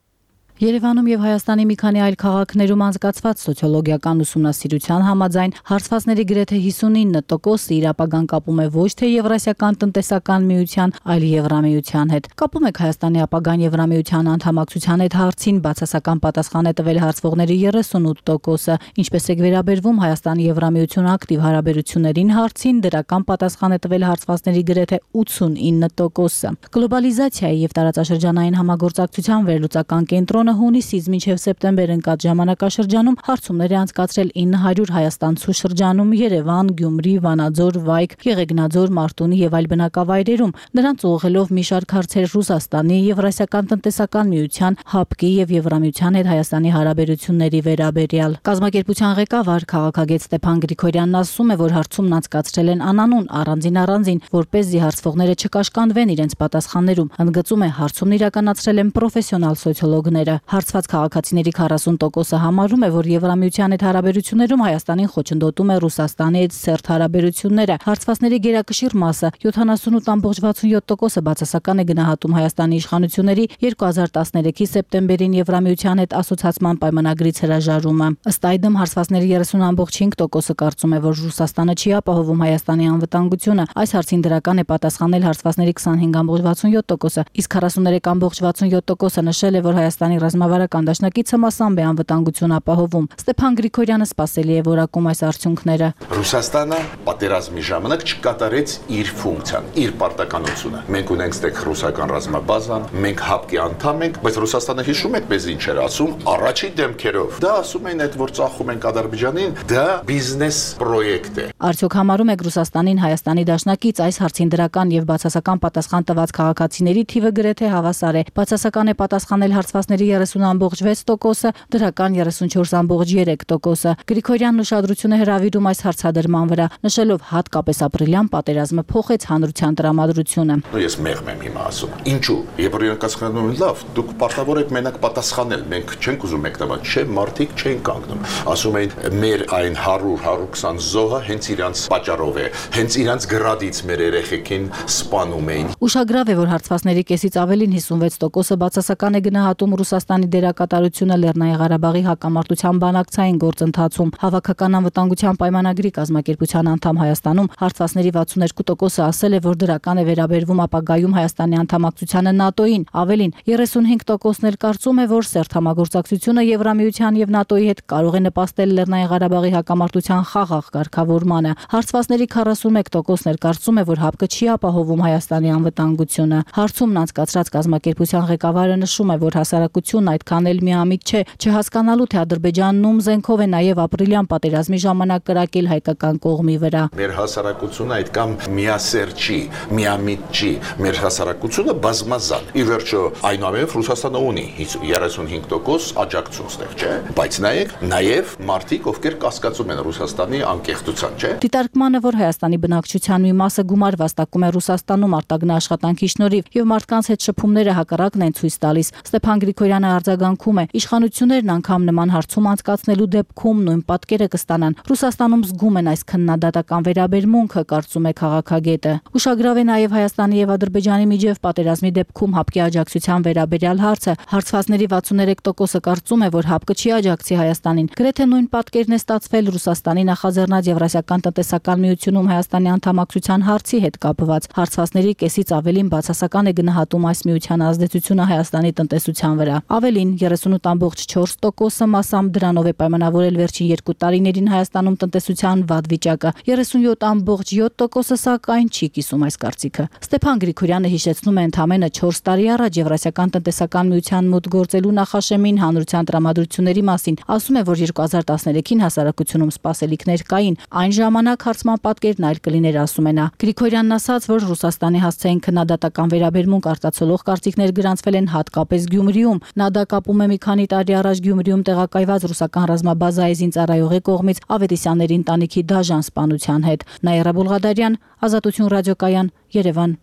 Երևանում եւ Հայաստանի մի քանի այլ քաղաքներում անցկացված սոցիոլոգիական ուսումնասիրության համաձայն հարցվածների գրեթե հիսունինը տոկոսը իր ապագան կապում է ոչ թե Եվրասիական տնտեսական միության, այլ Եվրամիության հետ։ Կապում եք Հայաստանի ապագան Եվրամիության անդամակցության հետ հարցին բացասական պատասխան է տվել հարցվողների երեսունութ տոկոսը, ինչպես է վերաբերվում Հայաստանի Եվրամիություն ակտիվ հարաբերություններին հարցին դրական պատասխան է տվել հարցվածների գրեթե ութսունինը տոկոսը։ Գլոբալիզացիայի եւ տարածաշրջանային համագործակցության վերլուծական կենտրոնը Հայաստանը հունիսից մինչև սեպտեմբեր ընկած ժամանակաշրջանում հարցումներ է անցկացրել ինը հարյուր հայաստանցու շրջանում Երևան, Գյումրի, Վանաձոր, Վայք, Եղեգնաձոր, Մարտունի եւ այլ բնակավայրերում, նրանց ուղղելով մի շարք հարցեր Ռուսաստանի, Եվրասիական տնտեսական միության, ՀԱՊԿ-ի եւ Եվրամիության հետ Հայաստանի հարաբերությունների վերաբերյալ։ Կազմակերպության ղեկավար քաղաքագետ Ստեփան Գրիգորյանն ասում է, որ հարցումն անցկացրել են անանուն առանձին առանձին, որպեսզի հարցվողները չկաշկանդվեն իրենց պատասխաններում։ Ընդգծում է, հարցումն իրականացրել են պրոֆեսիոնալ սոցիոլոգները։ Հարցված քաղաքացիների քառասուն տոկոսը համարում է, որ Եվրամիության հետ հարաբերություններում Հայաստանին խոչընդոտում է Ռուսաստանի հետ սերտ հարաբերությունները։ Հարցվածների գերակշիռ մասը յոթանասունութ կόμμα վաթսունյոթ տոկոսը բացասական է գնահատում Հայաստանի իշխանությունների երկու հազար տասներեքի սեպտեմբերին Եվրամիության հետ ասոցիացման պայմանագրից հրաժարումը։ Ըստ այդմ հարցվածների երեսուն կόμμα հինգ տոկոսը կարծում է, որ Ռուսաստանը չի ապահովում Հայաստանի անվտանգությունը։ Այս հարցին դրական է պատասխանել հարցվածների քսանհինգ կόμμα վաթսունյոթ տոկոսը, իսկ քառասուներեք կόμμα վաթսունյոթ տոկոսը նշել է, որ Հայաստանի ռազմավարական դաշնակիցը մասամբ է անվտանգություն ապահովում։ Ստեփան Գրիգորյանը սպասելի է որակում այս արդյունքները։ Ռուսաստանը պատերազմի ժամանակ չկատարեց իր ֆունկցիան, իր պարտականությունը։ Մենք ունենք ստեղ ռուսական ռազմաբազան, մենք ՀԱՊԿ-ի անդամ ենք, բայց Ռուսաստանը հիշում եք մեզ ինչ էր ասում առաջի դեմքերով։ Դա ասում են, այդ որ ծախում ենք Ադրբեջանին, դա բիզնես պրոյեկտ է։ Արդյոք համարում եք Ռուսաստանին Հայաստանի դաշնակից այս հարցին դրական եւ բացասական պատասխան տված քաղաքացիների թիվը գրեթե հավասար է։ Բացասական է պատասխանել հարցվածների երեսուն կόμμα վեց տոկոսը, դրական երեսունչորս կόμμα երեք տոկոսը։ Գրիգորյանն ուշադրություն է հրավիրում այս հարցադրման վրա, նշելով հատկապես ապրիլյան պատերազմը փոխեց հանրության տրամադրությունը։ Ես մեղմ եմ հիմա ասում։ Ինչու՞։ Երբ կասկանում են լավ, դուք պարտավոր եք մենակ պատասխանել, մենք չենք ուզում մեկնաբան, չէ, մարդիկ չեն կանգնում։ Ասում են մեր այն հարյուր հարյուր քսան զոհը հենց իրանց պատճառով է, հենց իրանց գրադից մեր երեխեքին սպանում էին։ Ուշագրավ է, որ հարցվածների կեսից ավելին հիսունվեց տոկոսը բացասական է գնահատում Ռուսաստանի դերակատարությունը Լեռնային Ղարաբաղի հակամարտության բանակցային գործընթացում։ Հավաքական անվտանգության պայմանագրի կազմակերպության անդամ Հայաստանում հարցվածների վաթսուններկու տոկոսը ասել է, որ դրական է վերաբերվում ապագայում Հայաստանի անդամակցությանը ՆԱՏՕ-ին։ Ավելին երեսունհինգ տոկոսն էլ կարծում է, որ սերտ համագործակցությունը Եվրամիության եւ ՆԱՏՕ-ի հետ կարող է նպաստել Լեռնային Ղարաբաղի հակամարտության խաղաղ կարգավորմանը։ Հարցվածների քառասունմեկ տոկոսն էլ կարծում է, որ ՀԱՊԿ-ը չի ապահովում Հայաստանի անվտանգությունը։ Հարցումն անցկացրած կազմակերպության ղեկավարը նշում է, որ հասարակությունն այդքան էլ միամիտ չէ, չհասկանալու թե Ադրբեջանն ում զենքով է նաեւ ապրիլյան պատերազմի ժամանակ կրակել հայկական կողմի վրա։ Մեր հասարակությունը այդքան միասեր չի, միամիտ չի, մեր հասարակությունը բազմազան։ Ի վերջո, այնուամենայնիվ Ռուսաստանը ունի երեսունհինգ տոկոս աջակցություն ստեղ, չէ՞։ Բայց նայեք, նաեւ մարդիկ, ովքեր կասկածում են Ռուսաստանի անկեղծության, չէ՞։ Դիտարկմանը, որ Հայաստանի բնակչության մի մասը գումար վաստակում է Ռուսաստանում արտագնա աշխատանքի շնորհիվ եւ մարդկանց հետ շփումները հակառակն են ցույց տալիս։ Ստեփան Գրիգորյանը արձագանքում է. իշխանություններն անգամ նման հարցում անցկացնելու դեպքում նույն պատկերը կստանան։ Ռուսաստանում զգում են այս քննադատական վերաբերմունքը, կարծում է քաղաքագետը։ Ուշագրավ է նաեւ Հայաստանի եւ Ադրբեջանի միջև պատերազմի դեպքում ՀԱՊԿ-ի աջակցության վերաբերյալ հարցը։ Հարցվածների վաթսուներեք տոկոսը կարծում է, որ ՀԱՊԿ-ը չի աջակցի Հայաստանին։ Գրեթե նույն պատկերն է ստացվել Ռուսաստանի նախաձեռնած Եվրասիական տնտեսական միությունում Հայաստանի անդամակցության հարցի հետ կապված։ Հարցվածների կեսից ավելին բացասական է գնահատում այս միության ազդեցությունը Հայաստանի տնտեսության վրա։ Ավելին երեսունութ կόμμα չորս տոկոսը մասամբ դրանով է պայմանավորել վերջին երկու տարիներին Հայաստանում տնտեսության վատ վիճակը։ երեսունյոթ կόμμα յոթ տոկոսը սակայն չի կիսում այս կարծիքը։ Ստեփան Գրիգորյանը հիշեցնում է ընդամենը չորս տարի առաջ Եվրասիական տնտեսական միության մոտ գործելու նախաշեմին հանրության տրամադրությունների մասին։ Ասում է, որ երկու հազար տասներեքին հասարակությունում սպասելիքներ կային։ Այն ժամանակ հարցման պատկերն այլ կլիներ, ասում է նա։ Գրիգորյանն ասաց, որ Ռուսաստանի հասցեին քննադատական վերաբերմունք արտացոլող կարծիքներ գրանցվել են հատկապես Գյումրիում։ Նա դա կապում է մի քանի տարի առաջ Գյումրիում տեղակայված ռուսական ռազմաբազայի զինծառայողի կողմից Ավետիսյանների ընտանիքի դաժան սպանության հետ։ Նաիրա Բուլղադարյան, Ազատություն ռադիոկայան, Երևան։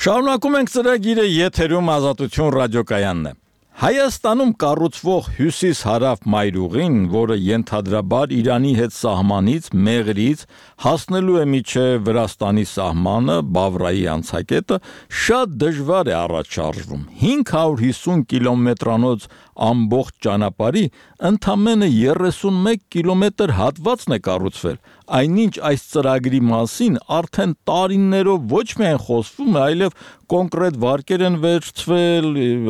Շարունակում ենք ծրագիրը, եթերում Ազատություն ռադիոկայանն է։ Հայաստանում կառուցվող հյուսիս-հարավ մայրուղին, որը ենթադրաբար Իրանի հետ սահմանից Մեղրից հասնելու է մինչև Վրաստանի սահմանը, Բավրայի անցակետը, շատ դժվար է առաջ շարժվում։ հինգ հարյուր հիսուն կիլոմետրանոց ամբողջ ճանապարհի ընդամենը երեսունմեկ կիլոմետր հատվածն է կառուցվել, այնինչ այս ծրագրի մասին արդեն տարիներով ոչ միայն խոսվում է, այլև կոնկրետ վարկեր են վերցվել,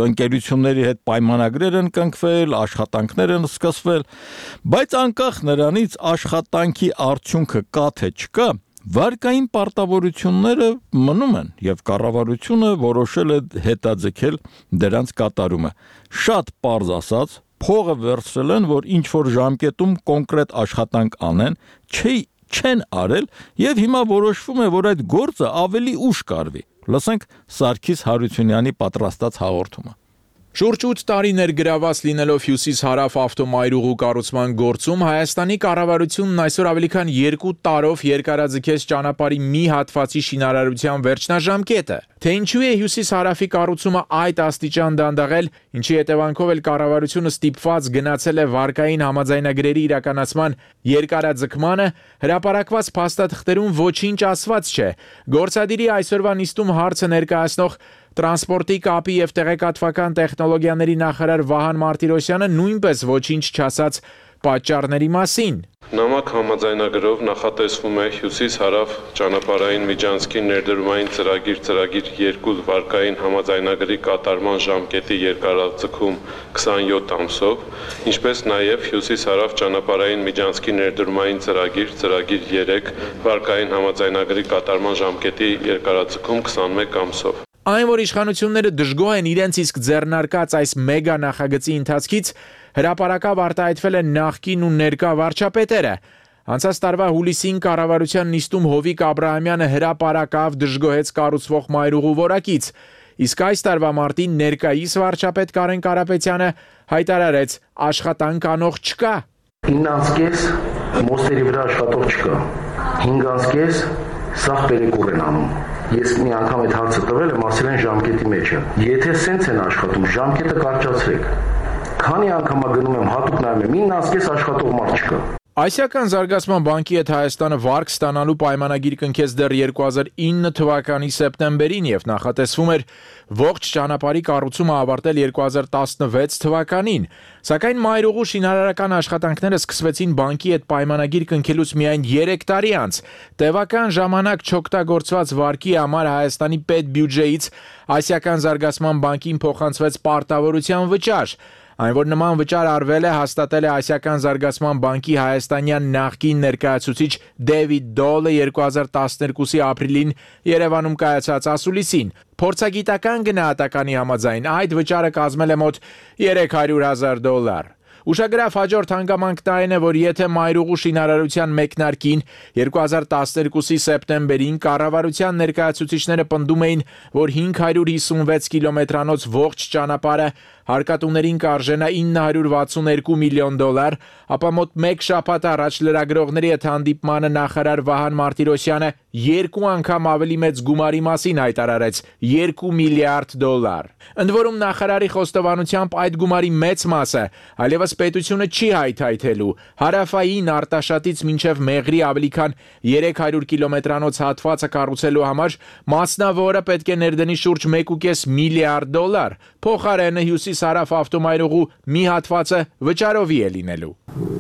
ընկերությունների հետ պայմանագրեր են կնքվել, աշխատանքներ են սկսվել, բայց անկախ նրանից աշխատանքի արդյունքը կա թե չկա, վարկային պարտավորությունները մնում են եւ կառավարությունը որոշել է հետաձգել դրանց կատարումը։ Շատ պարզ ասած, փողը վերցրել են, որ ինչ որ ժամկետում կոնկրետ աշխատանք անեն, չի չեն արել եւ հիմա որոշվում է, որ այդ գործը ավելի ուշ կարվի։ Լսենք Սարգիս Հարությունյանի պատրաստած հաղորդումը։ Շուրջ ութ տարի ներգրաված լինելով հյուսիս-հարավ ավտոմայրուղու կառուցման գործում Հայաստանի կառավարությունն այսօր ավելի քան երկու տարով երկարաձգեց ճանապարհի մի հատվածի շինարարության վերջնաժամկետը։ Թե ինչու է հյուսիս-հարավի կառուցումը այդ աստիճան դանդաղել, ինչի հետևանքով էլ կառավարությունը ստիպված գնացել է վարկային համաձայնագրերի իրականացման երկարաձգմանը, հրապարակված փաստաթղթերում ոչինչ ասված չէ։ Գործադիրի այսօրվա նիստում հարցը ներկայացնող Տրանսպորտի կապի եւ տեղեկատվական տեխնոլոգիաների նախարար Վահան Մարտիրոսյանը նույնպես ոչինչ չասաց պատճառների մասին։ Նամակ համաձայնագրով նախատեսվում է հյուսիս-հարավ ճանապարհային միջանցքի ներդրումային ծրագիր ծրագիր երկու վարկային համաձայնագրի կատարման ժամկետի երկարաձգում քսանյոթ ամսով, ինչպես նաև հյուսիս-հարավ ճանապարհային միջանցքի ներդրումային ծրագիր ծրագիր երեք վարկային համաձայնագրի կատարման ժամկետի երկարաձգում քսանմեկ ամսով։ Այն, որ իշխանությունները դժգոհ են իրենց իսկ ձեռնարկած այս մեգա նախագծի ընթացքից, հրապարակավ արտահայտվել են նախկին ու ներկա վարչապետերը։ Անցած տարվա հուլիսին կառավարության նիստում Հովիկ Աբրահամյանը հրապարակավ դժգոհեց կառուցվող մայրուղու որակից, իսկ այս տարվա մարտին ներկայիս վարչապետ Կարեն Կարապետյանը հայտարարեց աշխատանք անող չկա։ ինը ամսկես մոստերի վրա աշխատող չկա, հինգ ամսկես սաղ պերեկուր են անում։ Ես մի անգամ այդ հարցը տվել եմ, ասել են ժամկետի մեջ է։ Եթե սենց են աշխատում, ժամկետը կարճացրեք։ Քանի անգամ գնում եմ հատուկ նայում եմ, ինը ամսկես աշխատող մարդ չկա։ Ասիական զարգացման բանկի հետ Հայաստանը վարկ ստանալու պայմանագիր կնքեց դեռ երկու հազար ինը թվականի սեպտեմբերին եւ նախատեսվում էր ողջ ճանապարհի կառուցումը ավարտել երկու հազար տասնվեց թվականին, սակայն մայրուղու շինարարական աշխատանքները սկսվեցին բանկի հետ պայմանագիր կնքելուց միայն երեք տարի անց։ Տևական ժամանակ չօգտագործված վարկի համար Հայաստանի պետբյուջեից Ասիական զարգացման բանկին փոխանցվեց պարտավորության վճար։ Այն, որ նման վճար արվել է, հաստատել է Ասիական զարգացման բանկի հայաստանյան նախկին ներկայացուցիչ Դեվիդ Դոլը երկու հազար տասներկուսի ապրիլին Երևանում կայացած ասուլիսին։ Փորձագիտական գնահատականի համաձայն այդ վճարը կազմել է մոտ երեք հարյուր հազար դոլար։ Ուշագրավ հաջորդ հանգամանքն այն է, որ եթե մայրուղու շինարարության մեկնարկին երկու հազար տասներկուսի սեպտեմբերին կառավարության ներկայացուցիչները պնդում էին, որ հինգ հարյուր հիսունվեց կիլոմետրանոց ողջ ճանապարհը հարկատուներին կարժենա ինը հարյուր վաթսունհինգ միլիոն դոլար, ապա մոտ մեկ շաբաթ առաջ լրագրողների հետ հանդիպմանը նախարար Վահան Մարտիրոսյանը երկու անգամ ավելի մեծ գումարի մասին հայտարարեց՝ երկու միլիարդ դոլար։ Ընդ որում նախարարի խոստովանությամբ այդ գումարի մեծ մասը այլևս պետությունը չի հայթայթելու։ Հարավային Արտաշատից մինչև Մեղրի ավելի քան երեք հարյուր կիլոմետրանոց հատվածը կառուցելու համար մասնավորը պետք է ներդնի շուրջ մեկ ու կես միլիարդ դոլար։ Փոխարենը հյուսիս-հարավ ավտոմայրուղու մի հատվածը վճարովի է լինելու։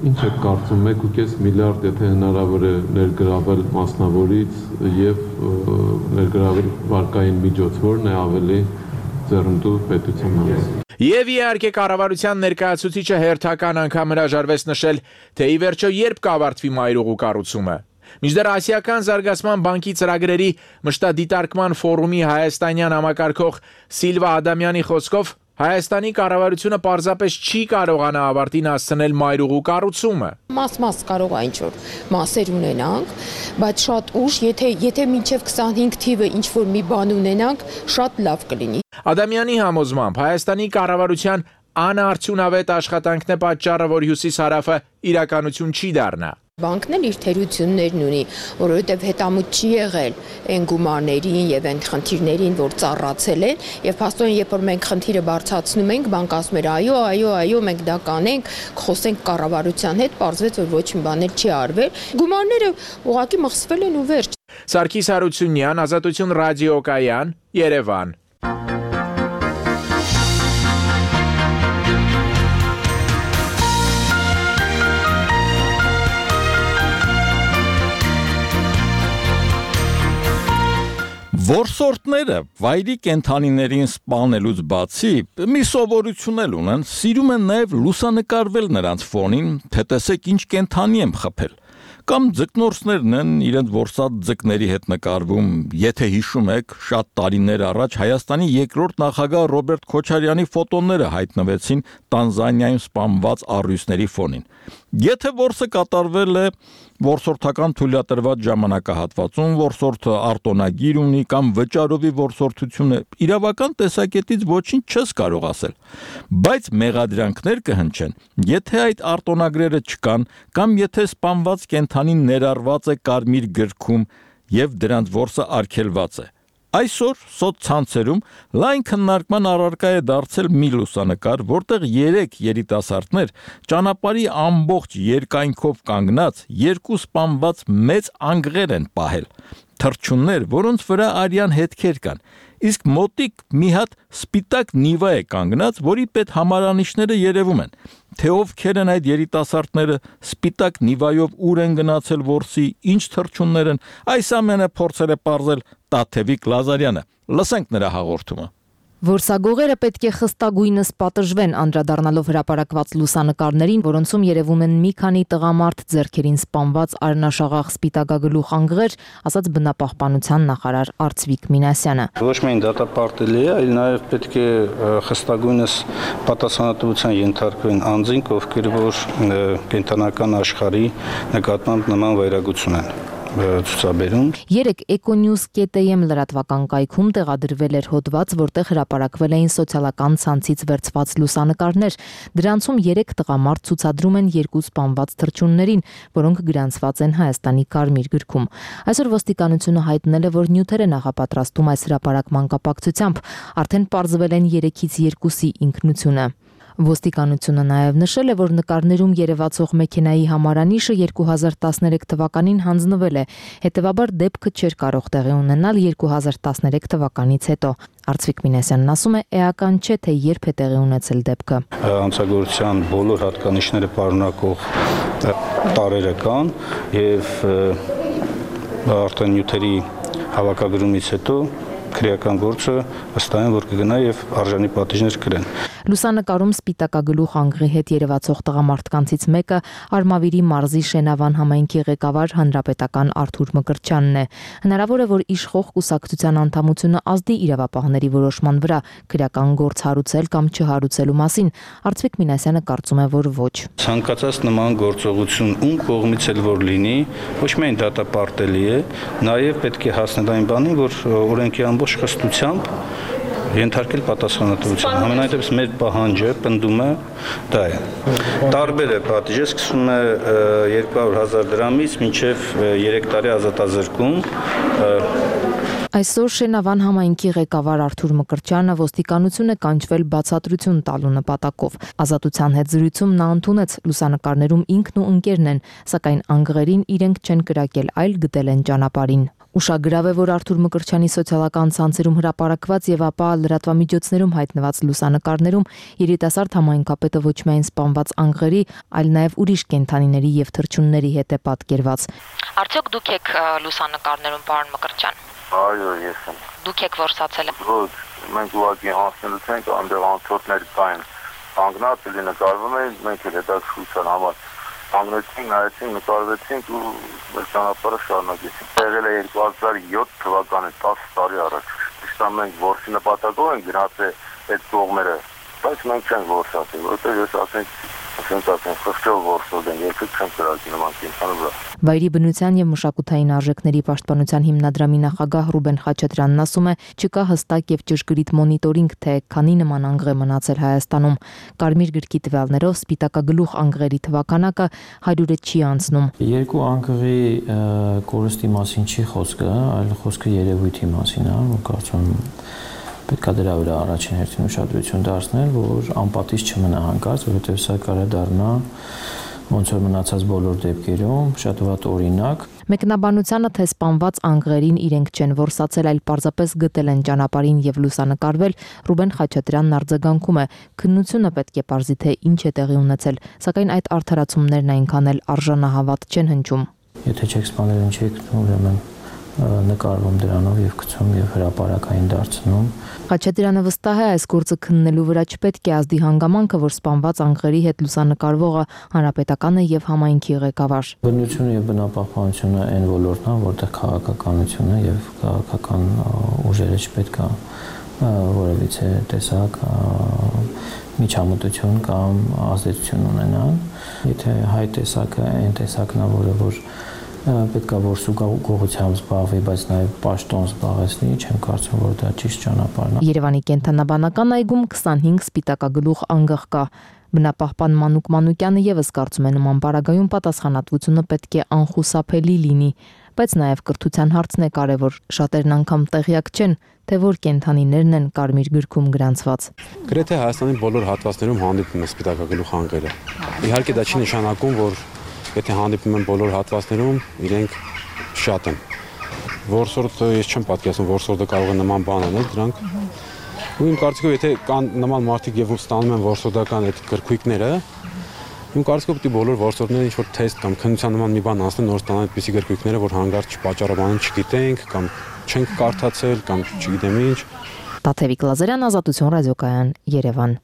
Ինչ եք կարծում, մեկ ու կես միլիարդ եթե հնարավոր է ներգրավել մասնավորից եւ ներգրավել վարկային միջոց, որն է ավելի ձեռնտու պետության համար։ Եվ իհարկե կառավարության ներկայացուցիչը հերթական անգամ հրաժարվեց նշել, թե ի վերջո երբ կավարտվի մայրուղու կառուցումը։ Մինչդեռ Ասիական զարգացման բանկի ծրագրերի մշտադիտարկման ֆորումի հայաստանյան համակարգող Սիլվա Ադամյանի խոսքով Հայաստանի կառավարությունը պարզապես չի կարողանա ավարտին հասցնել մայրուղու կառուցումը։ Մաս-մաս կարող է ինչ-որ մասեր ունենանք, բայց շատ ուշ, եթե եթե մինչև քսանհինգ թիվը ինչ-որ մի բան ունենանք, շատ լավ կլինի։ Ադամյանի համոզմամբ Հայաստանի կառավարության անարդյունավետ աշխատանքն է պատճառը, որ հյուսիս-հարավը իրականություն չի դառնա։ Բանկն էլ իր թերություններն ունի, որովհետև հետամուտ չի եղել այն գումարներին եւ այն խնդիրներին, որ ծառացել են, եւ փաստորեն երբ որ մենք խնդիրը բարձրացնում ենք, բանկը ասում էր այո, այո, այո, մենք դա կանենք, խոսենք կառավարության հետ, պարզվեց որ ոչ մի բաներ չի արվել։ Գումարները ուղղակի մխսվել են ու վերջ։ Սարգիս Հարությունյան, Ազատություն ռադիոկայան, Երևան։ Որսորդները վայրի կենդանիներին սպանելուց բացի մի սովորություն էլ ունեն, սիրում են նաև լուսանկարվել նրանց ֆոնին, թե տեսեք ինչ կենդանի եմ խփել։ Կամ ձկնորսներն են իրենց որսած ձկների հետ նկարվում, եթե հիշում եք, շատ տարիներ առաջ Հայաստանի երկրորդ նախագահ Ռոբերտ Քոչարյանի ֆոտոները հայտնվեցին Տանզանիայում սպանված առյուծների ֆոնին։ Եթե որսը կատարվել է որսորդական թույլատրված ժամանակահատվածում, որսորդը արտոնագիր ունի կամ վճարովի որսորդությունը, իրավական տեսակետից ոչինչ չես կարող ասել, բայց մեղադրանքներ կհնչեն, եթե այդ արտոնագրերը չկան կամ եթե սպանված կենդանին ներառված է կարմիր գրքում եւ դրանց որսը արգելված է։ Այսօր սոցցանցերում լայն քննարկման առարկա է դարձել մի լուսանկար, որտեղ երեք երիտասարդներ ճանապարհի ամբողջ երկայնքով կանգնած երկու սպանված մեծ անգղեր են պահել, թռչուններ, որոնց վրա արյան հետքեր կան, իսկ մոտիկ մի հատ սպիտակ նիվա է կանգնած, որի պետ համարանիշները երևում են, թե ովքեր են այդ երիտասարդները, սպիտակ նիվայով ուր են գնացել որսի, ինչ թռչուններ են, այս ամենը փորձել է պարզել Տաթևիկ Լազարյանը։ Լսենք նրա հաղորդումը։ Որսագողերը պետք է խստագույնս պատժվեն, անդրադառնալով հրապարակված լուսանկարներին, որոնցում երևում են մի քանի տղամարդ ձեռքերին սպանված արնաշաղախ սպիտակագլուխ անգղեր, ասաց բնապահպանության նախարար Արծվիկ Մինասյանը։ Ոչ միայն դատապարտելի է, այլ նաև պետք է խստագույնս պատասխանատվության ենթարկվեն անձինք, ովքեր որ կենտրոնական աշխարհի նկատմամբ նման վայրագություն են ցուցաբերում։ Երեք econews.am լրատվական կայքում տեղադրվել էր հոդված, որտեղ հրապարակվել էին սոցիալական ցանցից վերցված լուսանկարներ։ Դրանցում երեք տղամարդ ցուցադրում են երկու սպանված թռչուններին, որոնք գրանցված են Հայաստանի Կարմիր գրքում։ Այսօր ոստիկանությունը հայտնել է, որ նյութեր է նախապատրաստում այս հրապարակման կապակցությամբ, արդեն պարզվել են երեքից երկուսի ինքնությունը։ Ոստիկանությունը նաև նշել է, որ նկարներում երևացող մեքենայի համարանիշը երկու հազար տասներեք թվականին հանձնվել է, հետևաբար դեպքը չէր կարող տեղի ունենալ երկու հազար տասներեք թվականից հետո։ Արծվիկ Մինասյանն ասում է, էական չէ, թե երբ է տեղի ունեցել դեպքը։ Անցագործության բոլոր հատկանիշները պարունակող տարրերը կան եւ արդեն նյութերի հավաքագրումից հետո քրեական գործը վստահ են, որ կգնա եւ արժանի պատիժներ կրեն։ Լուսանկարում սպիտակագլուխ անգղի հետ երևացող տղամարդկանցից մեկը Արմավիրի մարզի Շենավան համայնքի ղեկավար հանրապետական Արթուր Մկրտչյանն է։ Հնարավոր է, որ իշխող կուսակցության անդամությունը ազդի իրավապահների որոշման վրա քրեական գործ հարուցել կամ չհարուցելու մասին։ Արծվիկ Մինասյանը կարծում է, որ ոչ։ Ցանկացած նման գործողություն ում կողմից էլ որ լինի, ոչ միայն դատապարտելի է, նաև պետք է հասնել այն բանին, որ օրենքի ամբողջ խստությամբ ենթարկել պատասխանատվության։ Համենայնդեպս մեր պահանջը, պնդումը դա է։ Տարբեր է պատիժը, սկսում է երկու հարյուր հազար դրամից մինչև երեք տարի ազատազրկում։ Այսօր Շենավան համայնքի ղեկավար Արթուր Մկրտչյանը ոստիկանություն է կանչվել բացատրություն տալու նպատակով։ Ազատության հետ զրույցում նա ընդունեց լուսանկարներում ինքն ու ընկերն են, սակայն անգղերին իրենք չեն կրակել, այլ գտել են ճանապարհին։ Ուշագրավ է, որ Արթուր Մկրտչյանի սոցիալական ցանցերում հրապարակված եւ ապա լրատվամիջոցներում հայտնված լուսանկարներում երիտասարդ համայնքապետը ոչ միայն սպանված անգղերի, այլ նաեւ ուրիշ կենդանիների եւ թռչունների հետ է պատկերված։ Արդյոք դուք եք լուսանկարներում, պարոն Մկրտչյան։ Այո, ես եմ։ Դուք եք որսացել։ Ոչ, մենք ուղղակի անցնելուց ենք, այնտեղ անցորդներ կային։ Կանգնած էլի նկարվում էին, մենք էլ հետաքրքրության համար կանգնեցինք, նայեցինք, նկարվեցինք ու մեր ճանապարհը շարունակեցինք։ Եղել է երկու հազար յոթ թվականի տասը տարի առաջ։ Ճիշտ է, մենք որսի նպատակով ենք գնացել այդ կողմերը, բայց մենք չենք որսացել, որովհետև ես ասենք ասենք ասենք խստով որսել են, երբեք չեմ կրակի նման կենտրոնի վրա։ Վայրի բնության եւ մշակութային արժեքների պաշտպանության հիմնադրամի նախագահ Ռուբեն Խաչատրյանն ասում է, չկա հստակ եւ ճշգրիտ մոնիտորինգ, թե քանի նման անգղ է մնացել Հայաստանում։ Կարմիր գրքի տվյալներով սպիտակագլուխ անգղերի թվականակը հարյուրը չի անցնում։ Երկու անգղի կորստի մասին չի խոսքը, այլ խոսքը երևույթի մասին է, որ կարծում եմ պետք է դրա վրա առաջին հերթին ուշադրություն դարձնել, որ անպատիժ չմնա հանկարծ, որովհետև սա կարող է դառնա ոնց որ մնացած բոլոր դեպքերում շատ վատ օրինակ։ Մեկնաբանությանը, թե սպանված անգղերին իրենք չեն որսացել, այլ պարզապես գտել են ճանապարհին եւ լուսանկարվել, Ռուբեն Խաչատրյանն արձագանքում է, քննությունը պետք է պարզի, թե ինչ է տեղի ունեցել, սակայն այդ արդարացումներն այնքան էլ արժանահավատ չեն հնչում։ Եթե չեք սպանել, ինչ եք ուրեմն նկարվում դրանով եւ գցում եւ հրապարակային դարձնում։ Խաչատրյանը վստահ է, այս գործը քննելու վրա չպետք է ազդի հանգամանքը, որ սպանված անկղերի հետ լուսանկարվողը հանրապետական է եւ համայնքի ղեկավար։ Բնությունը եւ բնապահպանությունը այն ոլորտն է, որտեղ քաղաքականությունը եւ քաղաքական ուժերը չպետք է որևիցե տեսակ միջամտություն կամ ազդեցություն ունենան։ Եթե հայ տեսակը այն տեսակն է, որը որ պետք է որ սուգողությամբ զբաղվի, բայց նաև պաշտոն զբաղեցնի, չեմ կարծում, որ դա ճիշտ ճանապարհն է։ Երևանի կենտրոնաբանական այգում քսանհինգ սպիտակագլուխ անգղ կա։ Բնապահպան Մանուկ Մանուկյանը եւս կարծում է նման պարագայում պատասխանատվությունը պետք է անխուսափելի լինի, բայց նաև կրթության հարցն է կարևոր։ Շատերն անգամ տեղյակ չեն, թե որ կենդանիներն են կարմիր գրքում գրանցված։ Գրեթե Հայաստանի բոլոր հատվածներում հանդիպում է սպիտակագլուխ անգղերը։ Իհարկե դա չի նշանակում, որ եթե հանդիպում են բոլոր հատվածներում, իրենք շատ են։ Որսորդը ես չեմ պատկերացնում, որսորդը կարող է նման բան անել դրանք։ Ու իմ կարծիքով եթե կան նման մարդիկ եւ ստանում են որսորդական այդ գրքույկները, իմ կարծիքով պիտի բոլոր որսորդները ինչ որ թեստ կամ քննության նման մի բան անցնեն, նոր ստանան այդպիսի գրքույկները, որ հանգարց չպաճառաբանեն, չգիտենք կամ չենք կարդացել կամ չգիտեմ ինչ։ Տաթևիկ Լազարյան, Ազատություն ռադիոկայան, Երևան։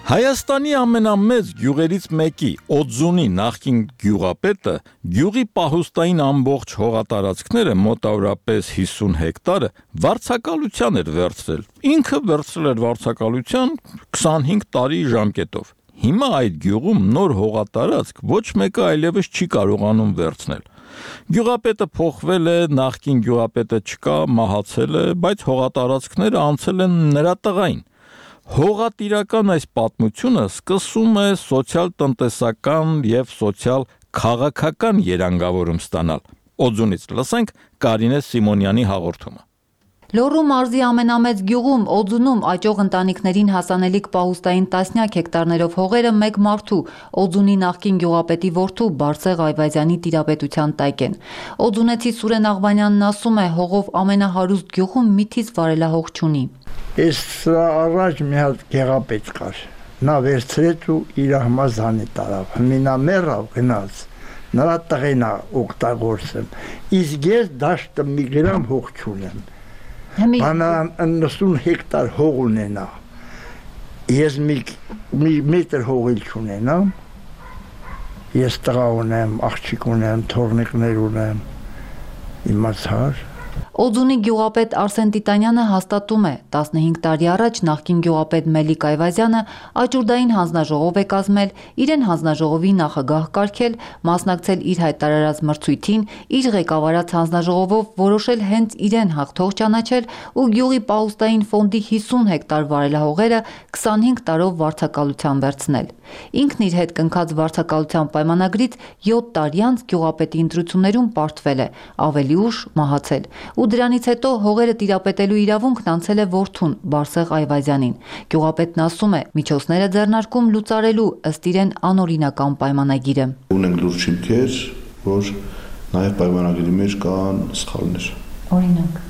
Հայաստանի ամենամեծ գյուղերից մեկի Օձունի նախկին գյուղապետը գյուղի պահուստային ամբողջ հողատարածքները մոտավորապես հիսուն հեկտարը վարձակալության էր վերցրել։ Ինքը վերցրել էր վարձակալության քսանհինգ տարի ժամկետով։ Հիմա այդ գյուղում նոր հողատարածք ոչ մեկը այլևս չի կարողանում վերցնել։ Գյուղապետը փոխվել է, նախկին գյուղապետը չկա, մահացել է, բայց հողատարածքները անցել են նրա տղային։ Հողատիրական այս պատմությունը սկսում է սոցիալ-տնտեսական եւ սոցիալ-քաղաքական երանգավորում ստանալ։ Օձունից լսենք Կարինե Սիմոնյանի հաղորդումը։ Լոռու մարզի ամենամեծ գյուղում Օձունում աճող ընտանիքներին հասանելիք պահուստային տասնյակ հեկտարներով հողերը մեկ մարդու Օձունի նախկին գյուղապետի որդու Բարսեղ Այվազյանի տիրապետության տակ են։ Օձունեցի Սուրեն Աղվանյանն ասում է, հողով ամենահարուստ գյուղում միթից վարելահող չունի։ Ես սրա առաջ մի հատ գեղապետ կար, նա վերցրեց ու իր համազանի տարավ, հմինա մեռավ գնաց, նրա տղենա օգտագործեմ, իսկ ես դաշտը մի գրամ հող չունեմ, բանան նսուն հեկտար հող ունենա, ես մի մետր հողիլ չունենամ, ես տղա ունեմ, աղջիկ ունեմ, թորնիկներ ունեմ, իմացար, Օձունի գյուղապետ Արսեն Տիտանյանը հաստատում է, տասնհինգ տարի առաջ նախկին գյուղապետ Մելիք Այվազյանը աճուրդային հանձնաժողով է կազմել, իրեն հանձնաժողովի նախագահ կարգել, մասնակցել իր հայտարարած մրցույթին, իր ղեկավարած հանձնաժողովով որոշել հենց իրեն հաղթող ճանաչել ու գյուղի պահուստային ֆոնդի հիսուն հեկտար վարելահողերը քսանհինգ տարով վարձակալության վերցնել։ Ինքն իր հետ կնքած վարձակալության պայմանագրից յոթ տարի անց գյուղապետի ընտրություններում պարտվել է, ավելի ուշ մահացել։ Ու դրանից հետո հողերը տիրապետելու իրավունքն անցել է որդուն Բարսեղ Այվազյանին։ Գյուղապետն ասում է, միջոցները ձեռնարկում լուծարելու ըստ իրեն անօրինական պայմանագիրը։ Ունենք լուրջ հիմքեր, որ նաև պայմանագրի մեջ կան սխալներ։ Օրինակ։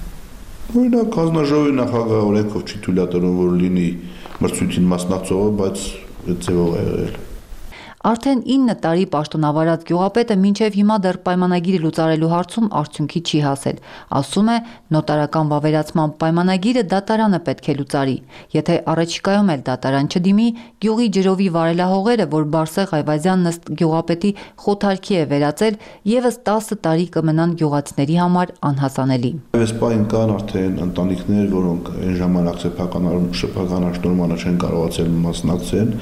Օրինակ հանձնաժողովի նախագահ օրենքով չի թույլատրում, որ լինի մրցույթին մասնակցողը, բայց այդ ձևով է եղել։ Արդեն ինը տարի պաշտոնավարած գյուղապետը մինչև հիմա դեռ պայմանագիրը լուծարելու հարցում արդյունքի չի հասել։ Ասում է, նոտարական վավերացման պայմանագիրը դատարանը պետք է լուծարի։ Եթե առաջիկայում էլ դատարան չդիմի, գյուղի ջրովի վարելահողերը, որ Բարսեղ Այվազյանն ըստ գյուղապետի խոթարքի է վերածել, եւս տասը տարի կմնան գյուղացիների համար անհասանելի։ Այս պահին կան արդեն ընտանիքներ, որոնք այն ժամանակ սեփական շփական աշտորմանը չեն կարողացել մասնակցել,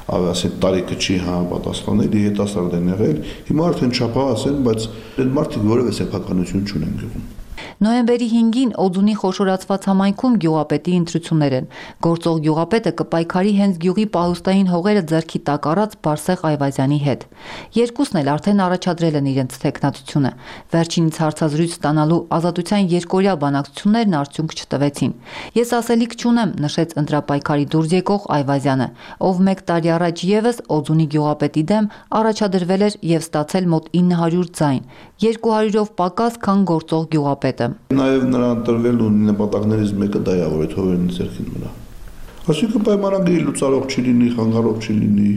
ավասի տարիքը չի համապատասխանել, հետասարդ են եղել, հիմա արդեն չափահաս են, բայց այդ մարդիկ որևէ սեփականություն չունեն գյուղում։ Նոյեմբերի հինգին Օձունի խոշորացված համայնքում գյուղապետի ընտրություններ են։ Գործող գյուղապետը կպայքարի հենց գյուղի պահուստային հողերը ձեռքի տակ առած Բարսեղ Այվազյանի հետ։ Երկուսն էլ արդեն առաջադրել են իրենց թեկնածությունը։ Վերջինից հարցազրույց ստանալու ազատության երկօրյա բանակցություններն արդյունք չտվեցին։ Ես ասելիք չունեմ, նշեց ընտրապայքարի դուրս եկող Այվազյանը, ով մեկ տարի առաջ եւս Օձունի գյուղապետի դեմ առաջադրվել էր եւ ստացել մոտ ինը հարյուր ձայն, երկու հարյուրով պակաս, քան գործող գյուղապետը։ Նաև նրան տրվել ու նպատակներից մեկը դա է, որ այդ հողերն ձեռքին մնա։ Այսինքն պայմանագրի լուծարող չի լինի, խանգարող չի լինի,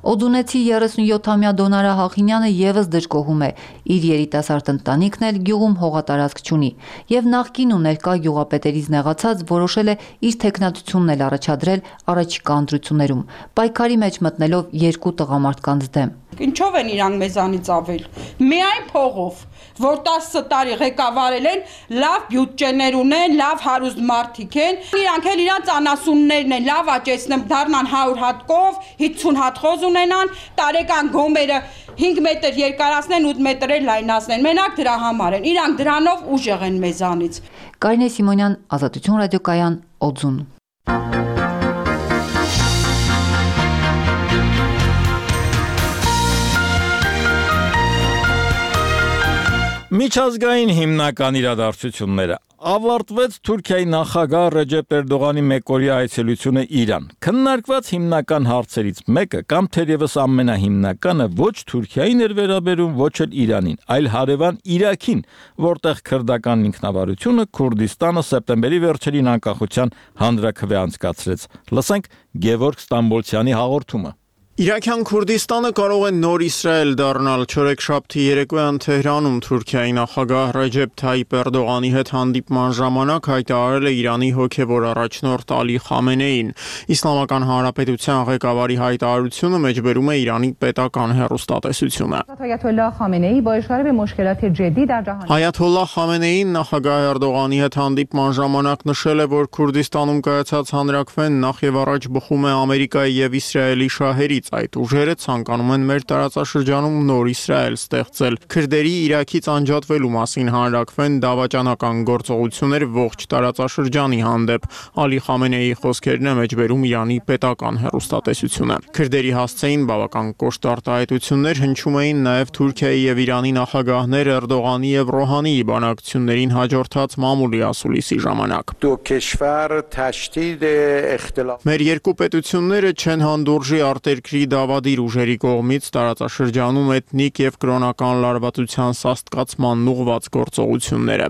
Օդունեցի երեսունյոթամյա Դոնարա Հախինյանը եւս դժգոհում է, իր երիտասարդ ընտանիքն էլ գյուղում հողատարածք չունի եւ նախկին ու ներկա գյուղապետերից նեղացած որոշել է իր թեկնածությունն էլ առաջադրել առաջիկա ընտրություններում, պայքարի մեջ մտնելով երկու տղամարդկանց դեմ։ Ինչով են իրանք մեզանից ավել։ Միայն փողով, որ տասը տարի ղեկավարել են, լավ բյուջեներ ունեն, լավ հարուստ մարդիկ են, իրանք էլ իրանց անասուններն են, լավ աճեցնեն, դառնան հարյուր հատ կով, հինգ հատ խոզ ունենան, տարեկան գոմերը հինգ մետր երկարացնեն, ութ մետր էլ լայնացնեն։ Մենակ դրա համար են։ Իրանք դրանով ուժեղ են մեզանից։ Կարինե Սիմոնյան, Ազատություն ռադիոկայան, Օձուն։ Միջազգային հիմնական իրադարձությունները ավարտվեց Թուրքիայի նախագահ Ռեջեփ Էրդողանի մեկօրյա այցելությունը Իրան։ Քննարկված հիմնական հարցերից մեկը կամ թերևս ամենահիմնականը ոչ Թուրքիային էր վերաբերում, ոչ էլ Իրանին, այլ հարևան Իրաքին, որտեղ քրդական ինքնավարությունը Քուրդիստանը սեպտեմբերի վերջերին անկախության հանրաքվե անցկացրեց։ Լսենք Գևորգ Ստամբոլցյանի հաղորդումը։ Իրաքյան Քուրդիստանը կարող է նոր Իսրայել դառնալ։ Չորեքշաբթի երեկոյան Թեհրանում Թուրքիայի նախագահ Ռեջեփ Թայիպ Էրդողանի հետ հանդիպման ժամանակ հայտարարել է Իրանի հոգևոր առաջնորդ Ալի Խամենեին։ Իսլամական Հանրապետության ղեկավարի հայտարարությունը մեջբերում է Իրանի պետական հեռուստատեսությունը։ Այաթոլլահ Խամենեին նախագահ Էրդողանի հետ հանդիպման ժամանակ նշել է, որ Քուրդիստանում կայացած հանրաքվեն նախ եւ առաջ բխում է Ամերիկայի եւ Իսրայելի շահերից։ Այդ ուժերը ցանկանում են մեր տարածաշրջանում նոր Իսրայել ստեղծել։ Քրդերի Իրաքից անջատվելու մասին հանրաքվեն դավաճանական գործողություն էր ողջ տարածաշրջանի հանդեպ։ Ալի Խամենեիի խոսքերն է մեջբերում Իրանի պետական հեռուստատեսությունը։ Քրդերի հասցեին բավական կոշտ արտահայտություններ հնչում էին նաև Թուրքիայի եւ Իրանի նախագահներ Էրդողանի եւ Ռոհանիի բանակցություններին հաջորդած մամուլի ասուլիսի ժամանակ։ Մեր երկու պետությունները չեն հանդուրժի արտերկրի դավադիր ուժերի կողմից տարածաշրջանում էթնիկ եւ կրոնական լարվածության սաստկացման ուղղված գործողությունները։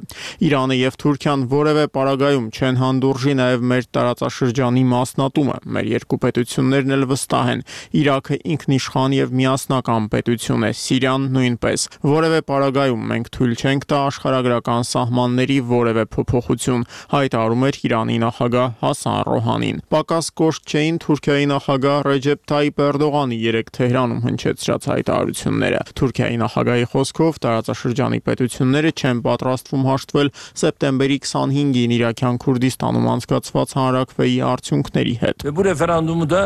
Իրանը եւ Թուրքիան որևէ պարագայում չեն հանդուրժի նաեւ մեր տարածաշրջանի մասնատումը։ Մեր երկու պետություններն էլ վստահ են։ Իրաքը ինքնիշխան եւ միասնական պետություն է, Սիրիան նույնպես։ Որևէ պարագայում մենք թույլ չենք տա աշխարհագրական սահմանների որևէ փոփոխություն, հայտարարում էր Իրանի նախագահ Հասան Ռոհանին։ Պակաս կոշտ չէին Թուրքիայի նախագահ Ռեջեփ Թայիպ Էրդողանի երեք Թեհրանում հնչեցրած հայտարարությունները։ Թուրքիայի նախագահի խոսքով տարածաշրջանի պետությունները չեն պատրաստվում հաշտվել սեպտեմբերի քսանհինգին Իրաքյան Քուրդիստանում անցկացված հանրաքվեի արդյունքների հետ։ Bu referandumu da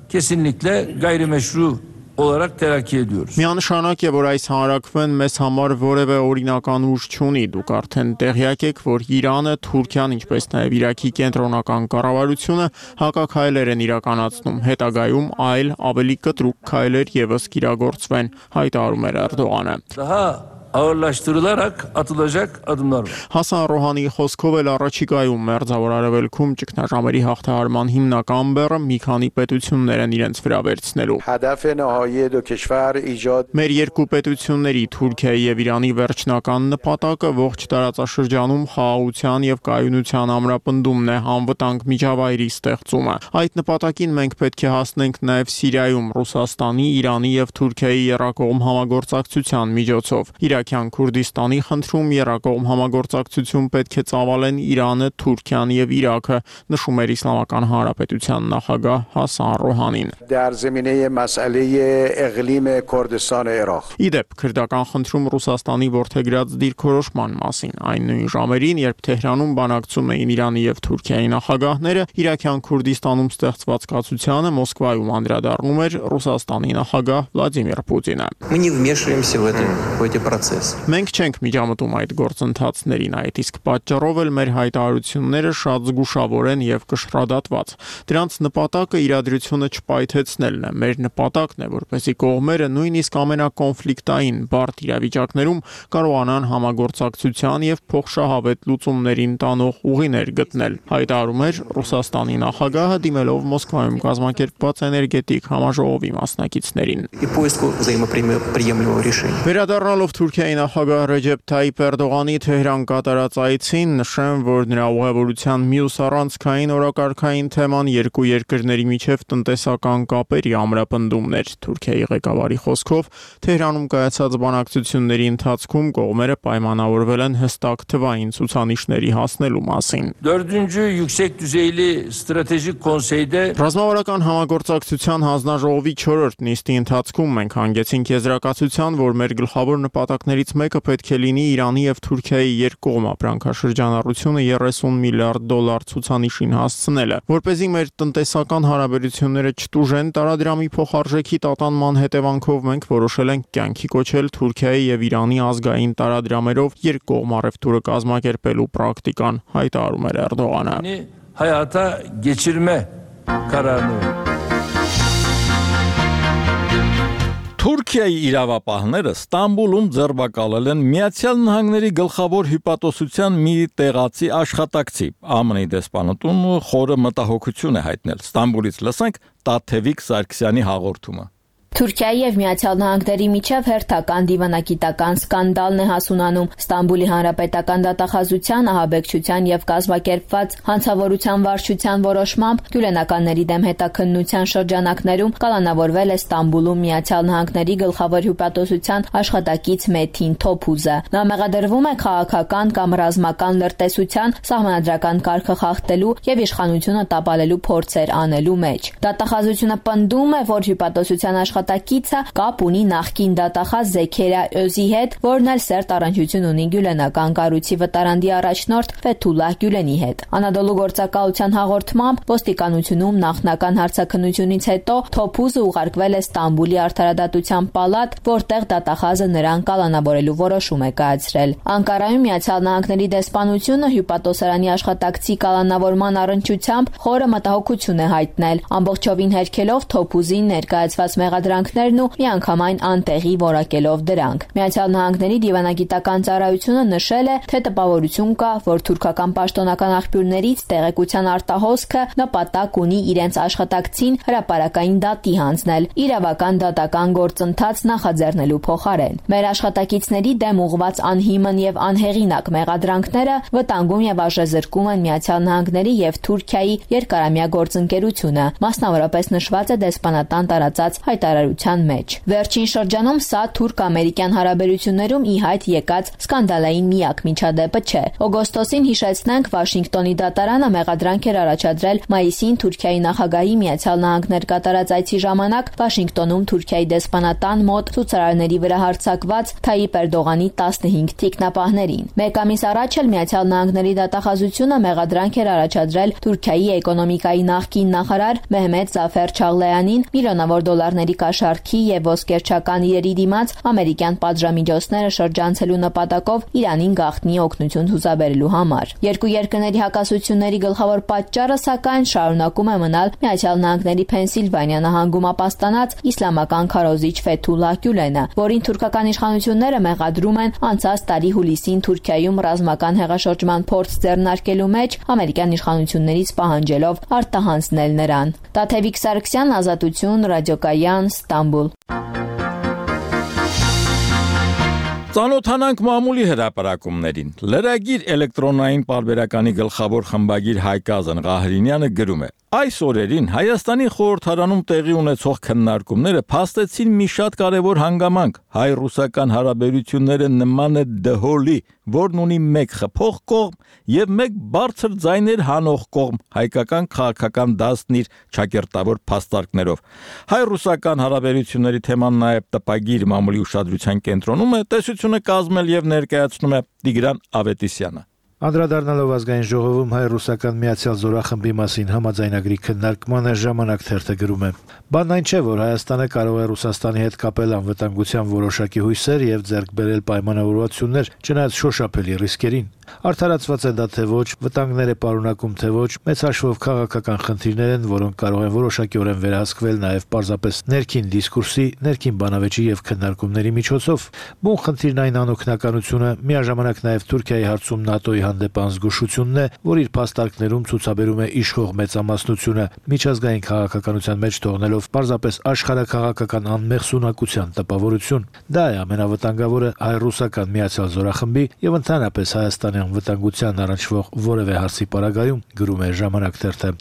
kesinlikle gayrimeşru olarak telakki ediyoruz. Միանշանակ է, որ այս հանրաքվեն մեզ համար որևէ օրինական ուժ չունի։ Դուք արդեն տեղյակ եք, որ Իրանը, Թուրքիան, ինչպես նաև Իրաքի կենտրոնական կառավարությունը հակաքայլեր են իրականացնում։ Հետագայում այլ ավելի կտրուկ քայլեր եւս կիրագործվեն, հայտարարում էր Էրդողանը։ Daha ağırlaştırılarak atılacak adımlar var. Հասան Ռոհանիի խոսքով էլ առաջիկայում Մերձավոր Արևելքում ճգնաժամերի հաղթահարման հիմնական բեռը մի քանի պետություններ են իրենց վրա վերցնելու։ Մեր երկու պետությունների Թուրքիայի եւ Իրանի վերջնական նպատակը ողջ տարածաշրջանում խաղաղության եւ կայունության ամրապնդումն է, անվտանգ միջավայրի ստեղծումը։ Այդ նպատակին մենք պետք է հասնենք նաեւ Սիրիայում Ռուսաստանի, Իրանի եւ Թուրքիայի երակողմ համագործակցության միջոցով։ Իրաքյան Քուրդիստանի խնդրում երակողմ համագործակցություն պետք է ծավալեն Իրանը, Թուրքիան եւ Իրաքը, նշում էր Իսլամական Հանրապետության նախագահ Հասան Ռոհանին։ Իդեպ քրդական խնդրում Ռուսաստանի որդեգրած դիրքորոշման մասին այն նույն ժամերին, երբ Թեհրանում բանակցում էին Իրանի եւ Թուրքիայի նախագահները, Իրաքյան Քուրդիստանում ստեղծված կացությանը Մոսկվայում անդրադառնում էր Ռուսաստանի նախագահ Վլադիմիր Պուտինը։ Մենք չենք միջամտում այդ գործընթացներին, այդ իսկ պատճառով էլ մեր հայտարարությունները շատ զգուշավոր են եւ կշռադատված։ Դրանց նպատակը իրադրությունը չպայթեցնելն է։ Մեր նպատակն է, որպեսզի կողմերը նույնիսկ ամենակոնֆլիկտային բարդ իրավիճակներում կարողանան համագործակցության եւ փոխշահավետ լուծումներին տանող ուղիներ գտնել, հայտարարում էր Ռուսաստանի նախագահը դիմելով Մոսկվայում կազմակերպված էներգետիկ համաժողովի մասնակիցներին։ Վերադառնալով Թուրքիայի Թուրքիայի նախագահ Ռեջեփ Թայիփ Էրդողանի Թեհրան կատարած այցին նշեմ, որ նրա ուղևորության մյուս առանցքային օրակարգային թեման երկու երկրների միջև տնտեսական կապերի ամրապնդումն էր։ Թուրքիայի ղեկավարի խոսքով Թեհրանում կայացած բանակցությունների ընթացքում կողմերը պայմանավորվել են հստակ թվային ցուցանիշների հասնելու մասին։ Dördüncü yüksek düzeyli stratejik konseyde Ռազմավարական համագործակցության հանձնաժողովի չորրորդ նիստի ընթացքում մենք հանգեցինք եզրակացության, որ մեր գլխավոր նպատակներից մեկը պետք է լինի Իրանի եւ Թուրքիայի երկկողմ ապրանքաշրջանառությունը երեսուն միլիարդ դոլար ցուցանիշին հասցնելը, որպեսզի մեր տնտեսական հարաբերությունները չտուժեն, տարադրամի փոխարժեքի տատանման հետևանքով մենք որոշել ենք կյանքի կոչել Թուրքիայի եւ Իրանի ազգային տարադրամերով երկկողմ առևտուրը կազմակերպելու պրակտիկան, հայտարարում էր Էրդողանը։ hayata geçirme kararını Թուրքիայի իրավապահները Ստամբուլում ձերբակալել են Միացյալ Նահանգների գլխավոր հյուպատոսության մի տեղացի աշխատակցի։ Ա Մ Ն-ի դեսպանատուն խորը մտահոգություն է հայտնել։ Ստամբուլից լսենք Տաթևիկ Սարգսյանի հաղորդումը։ Թուրքիայի եւ Միացյալ Նահանգների միջև հերթական դիվանագիտական սկանդալն է հասունանում։ Ստամբուլի հանրապետական դատախազության ահաբեկչության եւ կազմակերպված հանցավորության վարչության որոշմամբ գյուլենականների դեմ հետաքննության շրջանակներում կալանավորվել է Ստամբուլում Միացյալ Նահանգների գլխավոր հյուպատոսության աշխատակից Մեթին Թոփուզը։ Նա մեղադրվում է քաղաքական կամ ռազմական լրտեսության, սահմանադրական կարգը խախտելու եւ իշխանությունը տապալելու փորձեր անելու մեջ։ Դատախազությունը պնդում է, որ հյուպատոսության աշխատակիցը կապ ունի նախկին դատախազ Զեքերիա Օզի հետ, որն էլ սերտ առնչություն ունի գյուլենական կառույցի վտարանդի առաջնորդ Ֆեթուլլահ Գյուլենի հետ։ Անադոլու գործակալության հաղորդմամբ ոստիկանությունում նախնական հարցաքննությունից հետո Թոփուզը ուղարկվել է Ստամբուլի արդարադատության պալատ, որտեղ դատախազը նրան կալանավորելու որոշում է կայացրել։ Անկարայում Միացյալ Նահանգների դեսպանությունը հյուպատոսարանի աշխատակցի կալանավորման առնչությամբ խորը մտահոգություն է հայտնել, ամբողջովին հերքելով Թոփուզին ներկայացված մեղադրանքներն ու միանգամայն անտեղի որակելով դրանք։ Միացյալ Նահանգների դիվանագիտական ծառայությունը նշել է, թե տպավորություն կա, որ թուրքական պաշտոնական աղբյուրներից տեղեկության արտահոսքը նպատակ ունի իրենց աշխատակցին հրապարակային դատի հանձնել, իրավական դատական գործընթաց նախաձեռնելու փոխարեն։ Մեր աշխատակիցների դեմ ուղղված անհիմն եւ անհեղինակ մեղադրանքները վտանգում եւ արժեզրկում են Միացյալ Նահանգների եւ Թուրքիայի երկարամյա գործընկերությունը, մասնավորապես նշված է դեսպանատան տարածած հայտարարության մեջ։ Վերջին շրջանում սա թուրք-ամերիկյան հարաբերություններում ի հայտ եկած սկանդալային միակ միջադեպը չէ։ Օգոստոսին հիշեցնենք Վաշինգտոնի դատարանը մեղադրանք էր առաջադրել մայիսին Թուրքիայի նախագահի Միացյալ Նահանգներ կատարած այցի ժամանակ Վաշինգտոնում Թուրքիայի դեսպանատան մոտ ցուցարարների վրա հարձակված Թայիփ Էրդողանի տասնհինգ թիկնապահներին։ Մեկ ամիս առաջ էլ Միացյալ Նահանգների դատախազությունը մեղադրանք էր առաջադրել Թուրքիայի էկոնոմիկայի նախկին նախարար Մեհմեդ Զաֆեր Չաղլեյանին միլիոնավոր դոլարների կաշառքի եւ ոսկերչական իրերի դիմաց ամերիկյան պատժամիջոցները շրջանցելու նպատակով Իրանին գաղտնի օգնություն ցուցաբերելու համար։ Երկու երկրների հակասությունների գլխավոր պատճառը սակայն շարունակում է մնալ Միացյալ Նահանգների Փենսիլվանիա նահանգում ապաստանած իսլամական քարոզիչ Ֆեթուլլահ Գյուլենը, որին թուրքական իշխանությունները մեղադրում են անցած տարի հուլիսին Թուրքիայում ռազմական հեղաշրջման փորձ ձեռնարկելու մեջ ամերիկյան իշխանություններից պահանջելով արտահանձնել նրան։ Տաթևիկ Սարգսյան, Ազատություն, Ռադիոկայան, Ստամբուլ։ Ծանոթանանք մամուլի հրապարակումներին։ Լրագիր էլեկտրոնային պարբերականի գլխավոր խմբագիր Հայկ Ղահրինյանը գրում է. Այս օրերին Հայաստանի խորհրդարանում տեղի ունեցող քննարկումները փաստեցին մի շատ կարևոր հանգամանք։ Հայ-ռուսական հարաբերությունները նման է դհոլի, որն ունի մեկ խփող կողմ եւ մեկ բարձր ձայներ հանող կողմ, հայկական քաղաքական դասն իր ճակերտավոր փաստարկներով։ Հայ-ռուսական հարաբերությունների թեման նաեւ տպագիր մամուլի ուշադրության կենտրոնում է, տեսությունը կազմել եւ ներկայացնում է Տիգրան Ավետիսյանը։ Անդրադառնալով ազգային ժողովում հայ-ռուսական միացյալ զորախմբի մասին համաձայնագրի քննարկմանը ժամանակ թերթը գրում է. Բանն այն չէ, որ Հայաստանը կարող է Ռուսաստանի հետ կապել անվտանգության որոշակի հույսեր եւ ձեռք բերել պայմանավորվածություններ, չնայած շոշափելի ռիսկերին։ Արդարացված է դա թե ոչ, վտանգներ է պարունակում թե ոչ, մեծ հաշվով քաղաքական խնդիրներ են, որոնք կարող են որոշակիորեն վերահսկվել նաև պարզապես ներքին դիսկուրսի, ներքին բանավեճի եւ քննարկումների միջոցով։ Բուն խնդիրն այն անօգնականությունը, միաժամանակ նաև Թուրքիայի հարցում ՆԱՏՕ-ի հանդեպ անզգուշությունն է, որ իր փաստարկներում ցուցաբերում է իշխող մեծամասնությունը, միջազգային քաղաքականության մեջ թողնելով պարզապես աշխարհաքաղաքական անմեղսունակության տպավորություն։ Դա է ամենավտանգավորը հայ-ռուսական միացյալ զորախմբի եւ ընդհանրապես հայաստանյան վտանգության առնչվող որևէ հարցի պարագայում, գրում է Ժամանակ թերթը։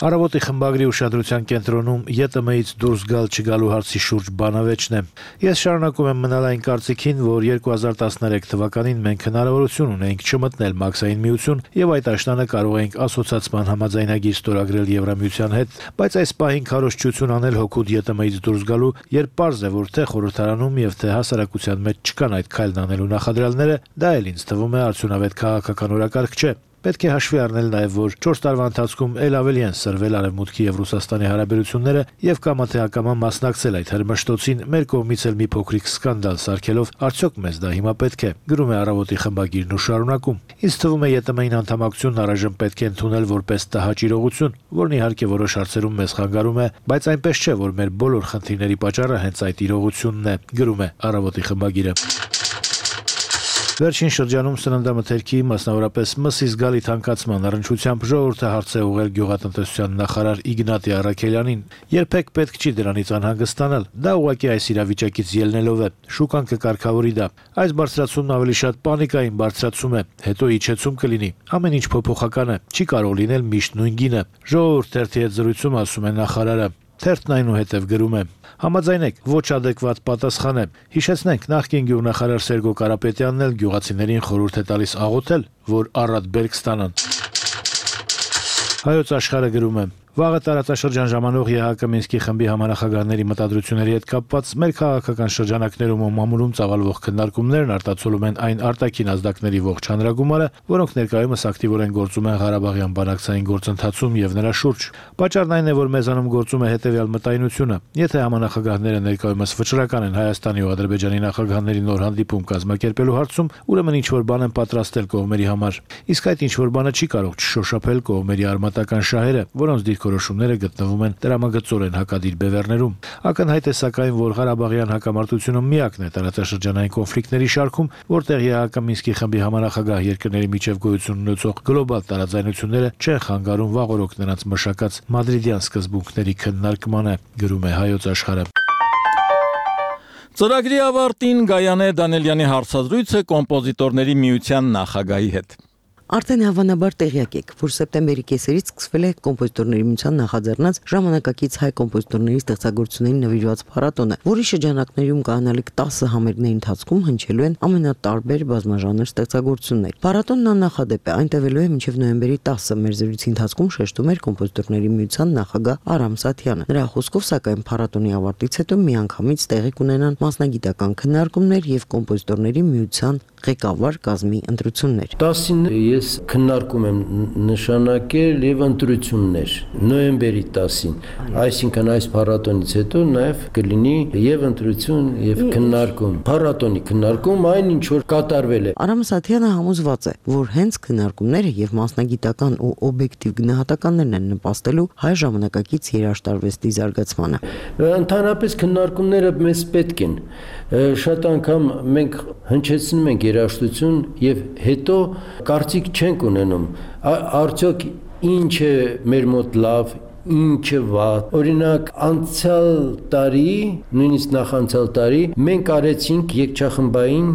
Առավոտի խմբագրի ուշադրության կենտրոնում ԵՏՄ-ից դուրս գալ չգալու հարցի շուրջ բանավեճն է։ Ես շարունակում եմ մնալ այն կարծիքին, որ երկու հազար տասներեք թվականին մենք հնարավորություն ունեինք չմտնել Մաքսային միություն եւ այդ աշնանը կարող էինք ասոցիացման համաձայնագիր ստորագրել Եվրամիության հետ, բայց այս պահին քարոզչություն անել հօգուտ ԵՏՄ-ից դուրս գալու, երբ պարզ է, որ թե խորհրդարանում եւ թե հասարակության մեջ չկան այդ քայլն անելու նախադրյալները, դա էլ ինձ թվում է արդյունավետ քաղաքական օրակարգ չէ։ Պետք է հաշվի առնել նաև, որ չորս տարվա ընթացքում ել ավելի են սրվել Արևմուտքի եւ Ռուսաստանի հարաբերությունները եւ կամա թե ակամա մասնակցել այդ հրմշտոցին, մեր կողմից էլ մի փոքրիկ սկանդալ սարքելով, արդյոք մեզ դա հիմա պետք է, գրում է Առավոտի խմբագիրն ու շարունակում։ Ինձ թվում է ԵՏՄ-ին անդամակցությունն առայժմ պետք է ընդունել որպես տհաճ իրողություն, որն իհարկե որոշ հարցերում մեզ խանգարում է, բայց այնպես չէ, որ մեր բոլոր խնդիրների պատճառը հենց այդ իրողությունն է, գրում է Առավոտի խմբագիրը։ Վերջին շրջանում սննդամթերքի, մասնավորապես մսի զգալի թանկացման առնչությամբ ժողովուրդը հարց է ուղղել գյուղատնտեսության նախարար Իգնատի Առաքելյանին։ Երբեք պետք չի դրանից անհանգստանալ։ Դա ուղղակի այս իրավիճակից ելնելով է։ Շուկան կկարգավորի դա։ Այս բարձրացումն ավելի շատ պանիկային բարձրացում է, հետո իջեցում կլինի։ Ամեն ինչ փոփոխական է, չի կարող լինել միշտ նույն գինը։ Ժողովուրդ թերթի հետ զրույցում ասում է նախարարը։ Թերթն այնուհետև գրում է. Համաձայնեք, ոչ ադեկվատ պատասխան է։ Հիշեցնենք, նախկին գյուղնախարար Սերգո Կարապետյանն էլ գյուղացիներին խորհուրդ է տալիս աղոթել, որ առատ բերք ստանան։ Հայոց աշխարհը գրում է. Վաղը տարածաշրջան ժամանող ԵՀԿ Մինսկի խմբի համանախագահների մտադրությունների հետ կապված մեր քաղաքական շրջանակներում ու մամուլում ծավալվող քննարկումներն արտացոլում են այն արտաքին ազդակների ողջ հանրագումարը, որոնք ներկայումս ակտիվորեն գործում են Ղարաբաղյան բանակցային գործընթացում եւ նրա շուրջ։ Պատճառն այն է, որ մեզանում գործում է հետեւյալ մտայնությունը. եթե համանախագահները ներկայումս վճռական են Հայաստանի ու Ադրբեջանի նախագահների նոր հանդիպում կազմակերպելու հարցում, ուրեմն ինչ որ բան են պատրաստել կողմերի համար։ Իսկ այդ ինչ որ բանը չի կարող չշոշափել կողմերի արմատական շահերը, որոնց դիրքորոշումները գտնվում են տրամագծորեն հակադիր բևեռներում։ Ակնհայտ է սակայն, որ Ղարաբաղյան հակամարտությունը միակն է տարածաշրջանային կոնֆլիկտների շարքում, որտեղ ԵՀԿ Մինսկի խմբի համանախագահ երկրների միջև գոյություն ունեցող գլոբալ տարաձայնությունները չեն խանգարում վաղօրոք նրանց մշակած մադրիդյան սկզբունքների քննարկմանը, գրում է Հայոց աշխարհը։ Ծրագրի ավարտին Գայանե Դանելյանի հարցազրույցը կոմպոզիտորների միության նախագահի հետ։ Արդեն հավանաբար տեղյակ եք, որ սեպտեմբերի կեսերից սկսվել է կոմպոզիտորների միության նախաձեռնած ժամանակակից հայ կոմպոզիտորների ստեղծագործություններին նվիրված փառատոնը, որի շրջանակներում կանալիք տասը համերգների ընթացքում հնչելու են ամենատարբեր բազմաժանր ստեղծագործություններ։ Փառատոնն աննախադեպ է, այն տևելու է մինչև նոյեմբերի տասը, մեր զրույցի ընթացքում շեշտում էր կոմպոզիտորների միության նախագահ Արամ Սաթյանը։ Նրա խոսքով, սակայն փառատոնի ավարտից հետո միանգամից տեղի կունենան մասնագիտական քննարկումներ եւ կոմպոզիտորների միության ղեկավար կազմի ընտրություններ։ տասին ես քննարկում եմ նշանակել եւ ընտրություններ նոյեմբերի տասին, այսինքն այս փառատոնից հետո նաեւ կլինի եւ ընտրություն եւ քննարկում, փառատոնի քննարկում, այն ինչ որ կատարվել է։ Արամ Սաթյանը համոզված է, որ հենց քննարկումները եւ մասնագիտական ու օբյեկտիվ գնահատականներն են նպաստելու հայ ժամանակակից երաժշտարվեստի զարգացմանը։ Ընդհանրապես քննարկումները մեզ պետք են։ Շատ անգամ մենք հնչեցնում ենք երաժշտություն եւ հետո կարծիք չենք ունենում, արդյոք ինչ է մեր մոտ լավ, ինչ է վատ։ Օրինակ անցյալ տարի, նույնիսկ նախանցյալ տարի մենք արեցինք երգչախմբային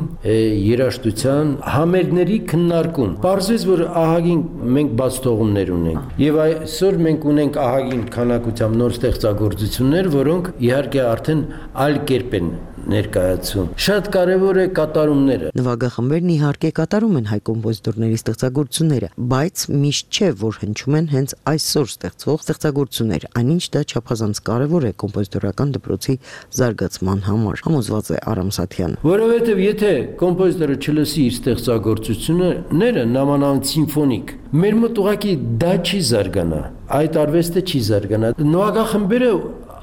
երաժշտության համերգների քննարկում։ Պարզվեց, որ ահագին մենք բաց թողումներ ունենք։ Եվ այսօր մենք ունենք ահագին քանակությամբ նոր ստեղծագործություններ, որոնք իհարկե արդեն այլ կերպ են ներկայացում։ Շատ կարևոր է կատարումները։ Նվագախմբերն իհարկե կատարում են հայ կոմպոզիտորների ստեղծագործությունները, բայց միշտ չէ, որ հնչում են հենց այսօր ստեղծվող ստեղծագործություններ, այնինչ դա չափազանց կարևոր է կոմպոզիտորական դպրոցի զարգացման համար, համոզված է Արամ Սաթյանը։ Որովհետև եթե կոմպոզիտորը չլսի իր ստեղծագործությունները, նամանավանդ սիմֆոնիկ, մեր մոտ ուղղակի դա չի զարգանա, այդ արվեստը չի զարգանա։ Նվագախմբերը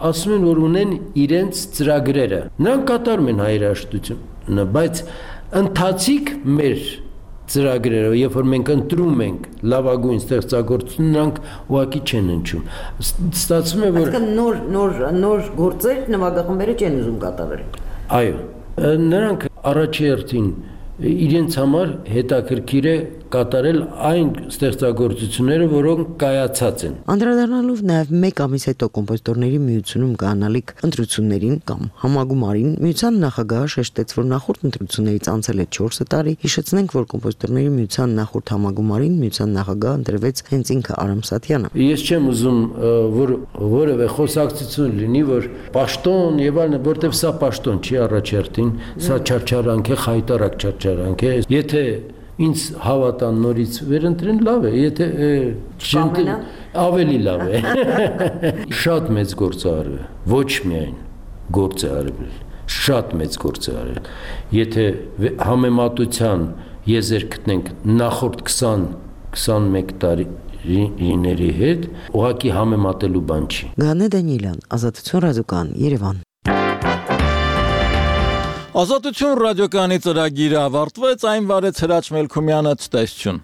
ասում են, որ ունեն իրենց ծրագրերը։ Նրանք կատարում են հայ երաժշտությունը, բայց ընթացիկ մեր ծրագրերով, երբ որ մենք ընտրում ենք լավագույն ստեղծագործություն, նրանք ուղղակի չեն ընչում։ Ստացվում է, որ Այսինքն նոր նոր նոր գործեր նվագախմբերը չեն ուզում կատարել։ Այո, նրանք առաջի հերթին իրենց համար հետաքրքիր է կատարել այն ստեղծագործությունները, որոնք կայացած են։ Անդրադառնալով նաև մեկ ամիս հետո կոմպոզիտորների միությունում կանալիք ընտրություններին կամ համագումարին, միության նախագահը շեշտեց, որ նախորդ ընտրություններից անցել է չորս տարի։ Հիշեցնենք, որ կոմպոզիտորների միության նախորդ համագումարին միության նախագահ ընտրվեց հենց ինքը Արամ Սաթյանը։ Ես չեմ ուզում, որ որևէ խոսակցություն լինի, որ պաշտոն եւ այլն, որտեվ սա պաշտոն չի առաջերտին, սա չարչարանք է, խայտարակ չարչարանք է։ Եթե ինձ հավատան նորից վերընտրեն, լավ է, եթե չընտրեն, ավելի լավ է։ Շատ մեծ գործ է արվել, ոչ միայն գործ է արվել, շատ մեծ գործ է արվել։ Եթե համեմատության եզեր գտնենք նախորդ քսան քսանմեկ տարիների հետ, ուղղակի համեմատելու բան չի։ Գանե Դանիելյան, Ազատություն ռադիոկայան, Երևան։ Ազատություն ռադիոկայանի ծրագիրը ավարտվեց, այն վարեց Հրաչ Մելքումյանը, ցտեսություն։